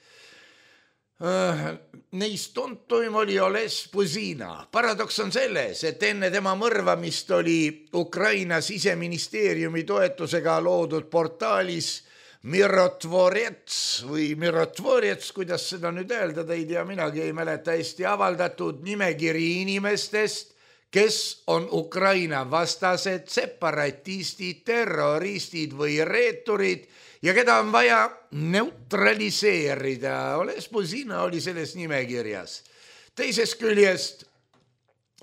Neist tuntuim oli Oles Buzina. Paradoks on selles, et enne tema mõrvamist oli Ukraina siseministeeriumi toetusega loodud portaalis Mirotvorets, kuidas seda nüüd öeldada, ei tea, minagi ei mäleta hästi, avaldatud nimekiri inimestest, kes on Ukraina vastased, separatistid, terroristid või reeturid ja keda on vaja neutraliseerida. Oles Buzina oli selles nimekirjas. Teisest küljest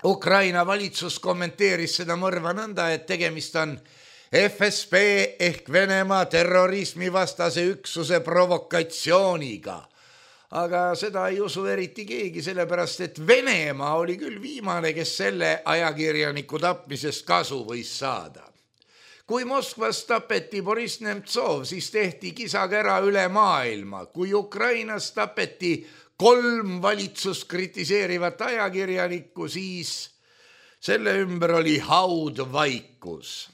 Ukraina valitsus kommenteeris seda mõrva nõnda, et tegemist on FSB ehk Venemaa terrorismi vastase üksuse provokatsiooniga. Aga seda ei usu eriti keegi, sellepärast et Venemaa oli küll viimane, kes selle ajakirjaniku tapmisest kasu võis saada. Kui Moskvas tapeti Boris Nemtsov, siis tehti kisakära üle maailma. Kui Ukrainas tapeti 3 valitsust kritiseerivat ajakirjanikku, siis selle ümber oli haudvaikus.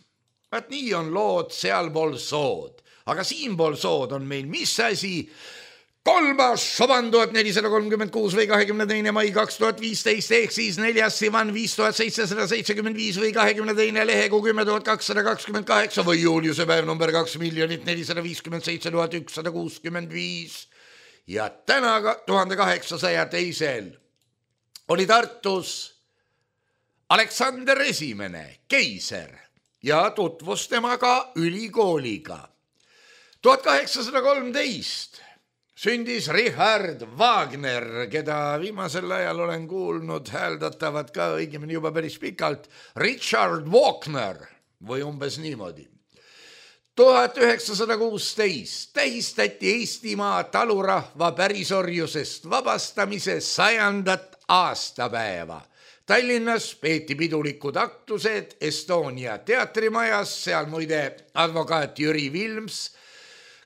Vaat nii on lood sealpool sood. Aga siinpool sood on meil mis asi? 3. Šoban 1436 või 22. mai 2015 ehk siis 4. Sivan 5775 või 22. lehegu 10228 või Juliuse päev number 2 457 165. Ja täna 1802 oli Tartus Aleksander I, keiser, ja tutvus temaga ülikooliga. 1813 sündis Richard Wagner, keda viimasel ajal olen kuulnud hääldatavad ka õigemini juba päris pikalt, Richard Wagner või umbes niimoodi. 1916 tähistati Eestimaa talurahva pärisorjusest vabastamise 100. aastapäeva. Tallinnas peeti pidulikud aktused Estonia teatrimajas, seal muide advokaat Jüri Vilms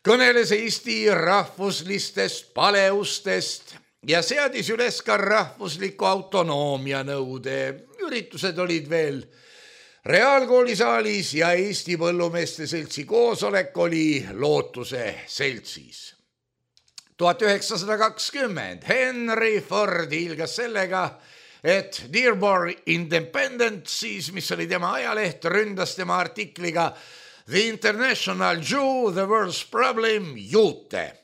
kõneles Eesti rahvuslistest paleustest ja seadis üles ka rahvusliku autonoomia nõude. Üritused olid veel Reaalkoolisaalis ja Eesti Põllumeeste Seltsi koosolek oli Lootuse seltsis. 1920 Henry Ford hiilgas sellega, et Dearborn Independent, siis mis oli tema ajaleht, ründas tema artikliga The International Jew, the World's Problem, juute.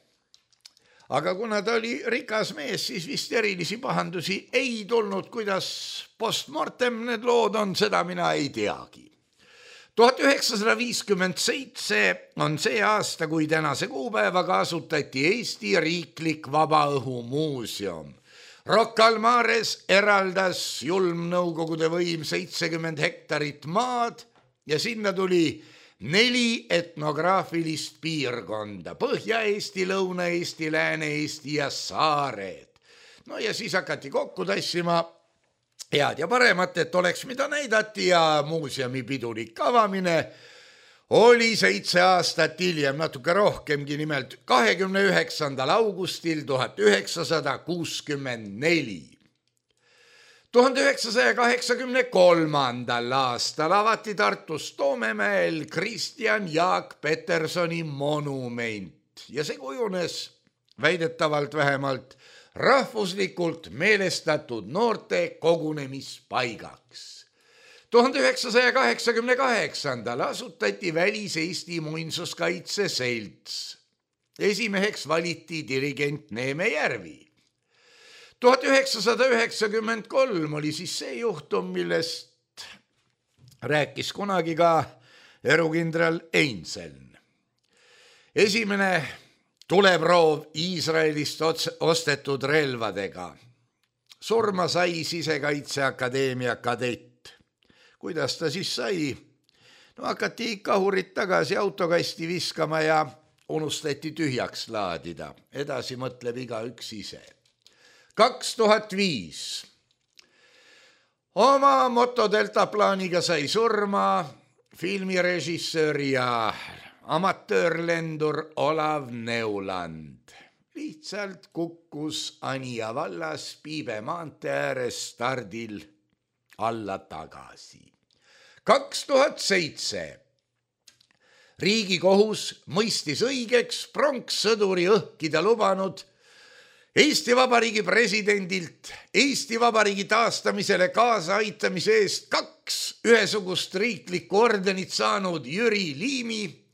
Aga kuna ta oli rikas mees, siis vist erilisi pahandusi ei tulnud, kuidas postmortem need lood on, seda mina ei teagi. 1957 on see aasta, kui tänase kuupäevaga asutati Eesti Riiklik Vabaõhumuuseum. Rocca al Mares eraldas julm nõukogude võim 70 hektarit maad ja sinna tuli 4 etnograafilist piirkonda, Põhja-Eesti, Lõuna-Eesti, Lääne-Eesti ja saared. No ja siis hakati kokku tassima head ja paremat, et oleks mida näidati ja muuseumi pidulik avamine oli 7 aastat hiljem, natuke rohkemgi, nimelt 29. augustil 1964. 1983. aastal avati Tartus Toomemäel Kristjan Jaak Petersoni monument ja see kujunes väidetavalt vähemalt rahvuslikult meelestatud noorte kogunemispaigaks. 1988. asutati Välis-Eesti Muinsuskaitse Selts. Esimeheks valiti dirigent Neeme Järvi. 1993 oli siis see juhtum, millest rääkis kunagi ka erukindral Einseln. Esimene tuleproov Iisraelist ostetud relvadega. Surma sai Sisekaitseakadeemia kadett. Kuidas ta siis sai? No hakati kahurit tagasi autokasti viskama ja unustati tühjaks laadida. Edasi mõtleb igaüks ise. 2005. Oma motodeltaplaaniga sai surma filmirežissöör ja amatöörlendur Olav Neuland. Lihtsalt kukkus Anija vallas Piibe maantee ääres stardil alla tagasi. 2007. Riigikohus mõistis õigeks pronkssõduri õhkida lubanud Eesti Vabariigi presidendilt Eesti Vabariigi taastamisele kaasaaitamise eest 2 ühesugust riiklikku ordenit saanud Jüri Liimi,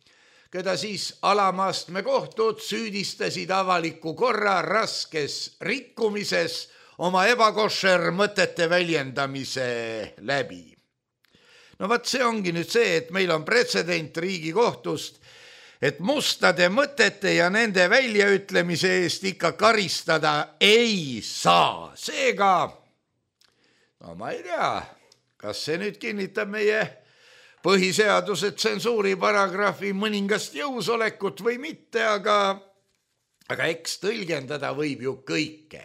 keda siis alamastme kohtud süüdistasid avaliku korra raskes rikkumises oma ebakošer mõtete väljendamise läbi. No vaat see ongi nüüd see, et meil on pretsedent Riigikohtust, et mustade mõtete ja nende väljaütlemise eest ikka karistada ei saa. Seega, no ma ei tea, kas see nüüd kinnitab meie põhiseaduse tsensuuri paragrahvi mõningast jõusolekut või mitte, aga eks tõlgendada võib ju kõike.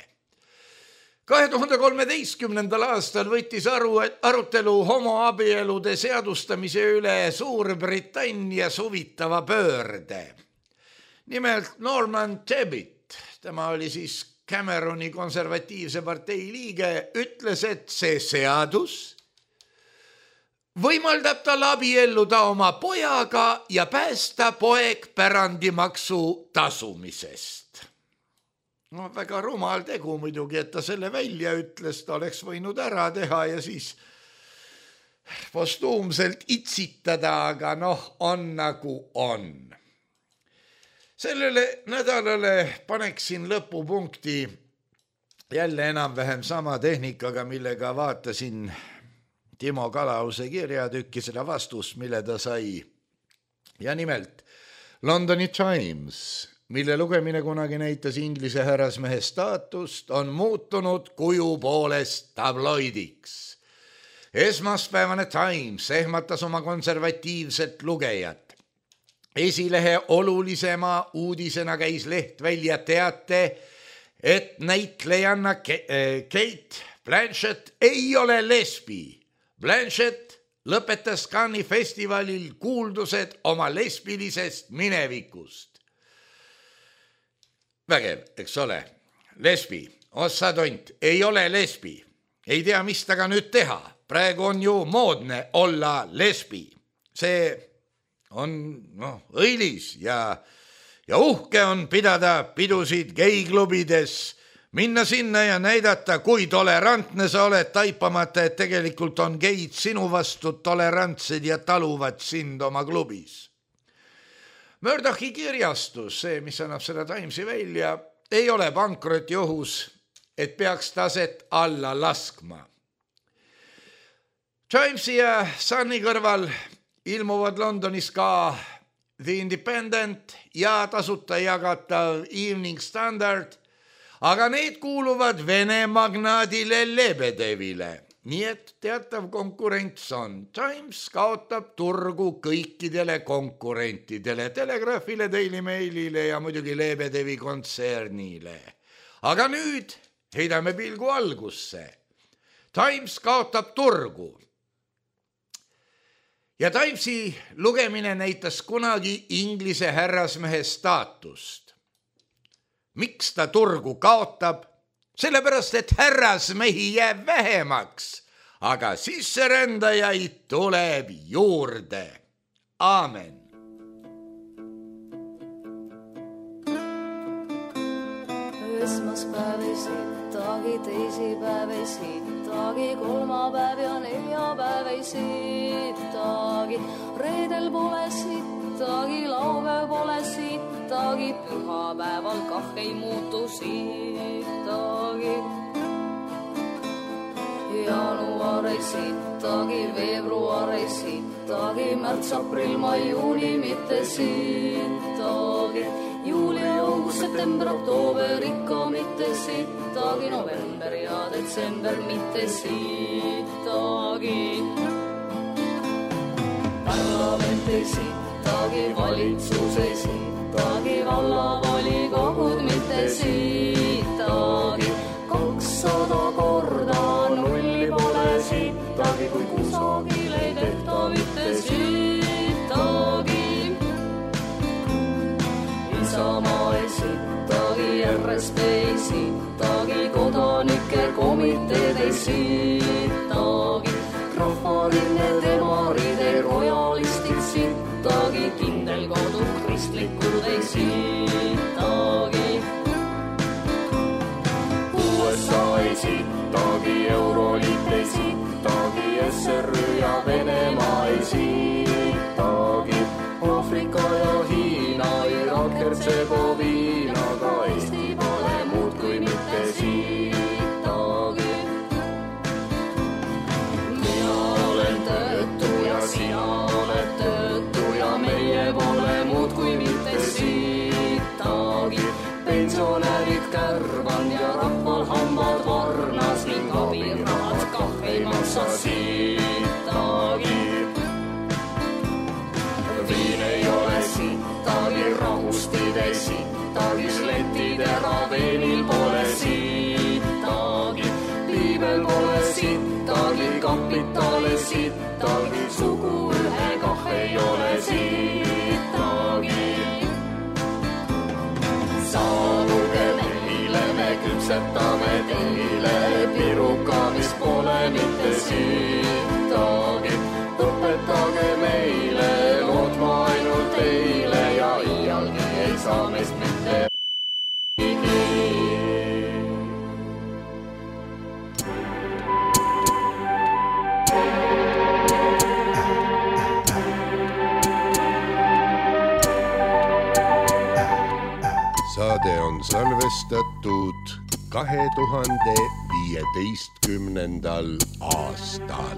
2013. aastal võttis arutelu homoabielude seadustamise üle Suurbritannias huvitava pöörde. Nimelt Norman Tebbit, tema oli siis Cameroni konservatiivse partei liige, ütles, et see seadus võimaldab tal abielluda oma pojaga ja päästa poeg pärandimaksu tasumisest. No väga rumal tegu muidugi, et ta selle välja ütles, ta oleks võinud ära teha ja siis postuumselt itsitada, aga on nagu on. Sellele nädalale paneksin lõpupunkti jälle enam-vähem sama tehnikaga, millega vaatasin Timo Kalause kirjatükki seda vastust, mille ta sai. Ja nimelt Londoni Times, mille lugemine kunagi näitas Inglise härrasmehe staatust, on muutunud kuju poolest tabloidiks. Esmaspäevane Times ehmatas oma konservatiivset lugejat. Esilehe olulisema uudisena käis leht välja teate, et näitlejanna Kate Blanchett ei ole lesbi. Blanchett lõpetas Cannes'i festivalil kuuldused oma lesbilisest minevikust. vägev, eks ole. Lesbi, ossa tont, ei ole lesbi. Ei tea, mis taga nüüd teha. Praegu on ju moodne olla lesbi. See on õilis ja uhke on pidada pidusid geiklubides, minna sinna ja näidata, kui tolerantne sa oled, taipamata, et tegelikult on geid sinu vastu tolerantsed ja taluvad sind oma klubis. Murdochi kirjastus, see, mis annab seda Timesi välja, ei ole pankroti ohus, et peaks taset alla laskma. Timesi ja Sunni kõrval ilmuvad Londonis ka The Independent ja tasuta jagatav Evening Standard, aga need kuuluvad Vene magnaadile Lebedevile. Nii et teatav konkurents on. Times kaotab turgu kõikidele konkurentidele, Telegraafile, Daily Mailile ja muidugi Lebedevi kontsernile. Aga nüüd heidame pilgu algusse. Times kaotab turgu. Ja Timesi lugemine näitas kunagi Inglise härrasmehe staatust. Miks ta turgu kaotab? Sellepärast, et härrasmehi jääb vähemaks, aga sisserändajaid tuleb juurde. Aamen. Esmaspäev ei sittagi, teisipäev ei sittagi, kolmapäev ja neljapäev ei sittagi, reedel pole sittagi, laupäev pole sittagi, pühapäeval kah ei muutu sittagi. Jaanuar ei sittagi, veebruar ei sittagi, märts, aprill, mai, juuni mitte sittagi, juuli, august, september, oktoober ikka mitte sittagi, november ja detsember mitte sittagi. Parlament ei sittagi, valitsus ei sittagi, vallavolikogud mitte sittagi, 200 korda nulli pole sittagi, kui kusagil ei tehta mitte sittagi. Isamaa ei sittagi, RSP ei sittagi, kodanike komiteed ei sittagi, rahvarinne, demaride, rojalistid sittagi, kindelkodud, kristlikud ei sittagi. USA ei sittagi, Euroliit ei sittagi, SRÜ ja Venemaa ei sittagi, Aafrika ja Hiina, Irak, Hertsegoviina, ka Eesti pole muud kui mitte sittagi. Mina olen töötu ja sina oled töötu ja meie pole muud kui mitte sittagi. Pensionärid kärban ja rahval hambad varnas ning abirahad kah ei maksa sittagi. Viin ei ole sittagi, rahustid ei sittagi, sletid eraveenil pole sittagi, piibel pole sittagi, kapitale sittagi, sugu ühe kah ei ole sittagi. Saabuge meile, me küpsetame teile piruka, mis pole mitte sittagi. Õpetage meile lootma ainult teile ja iialgi ei saa meist mitte higi. Saade on salvestatud 2015. aastal.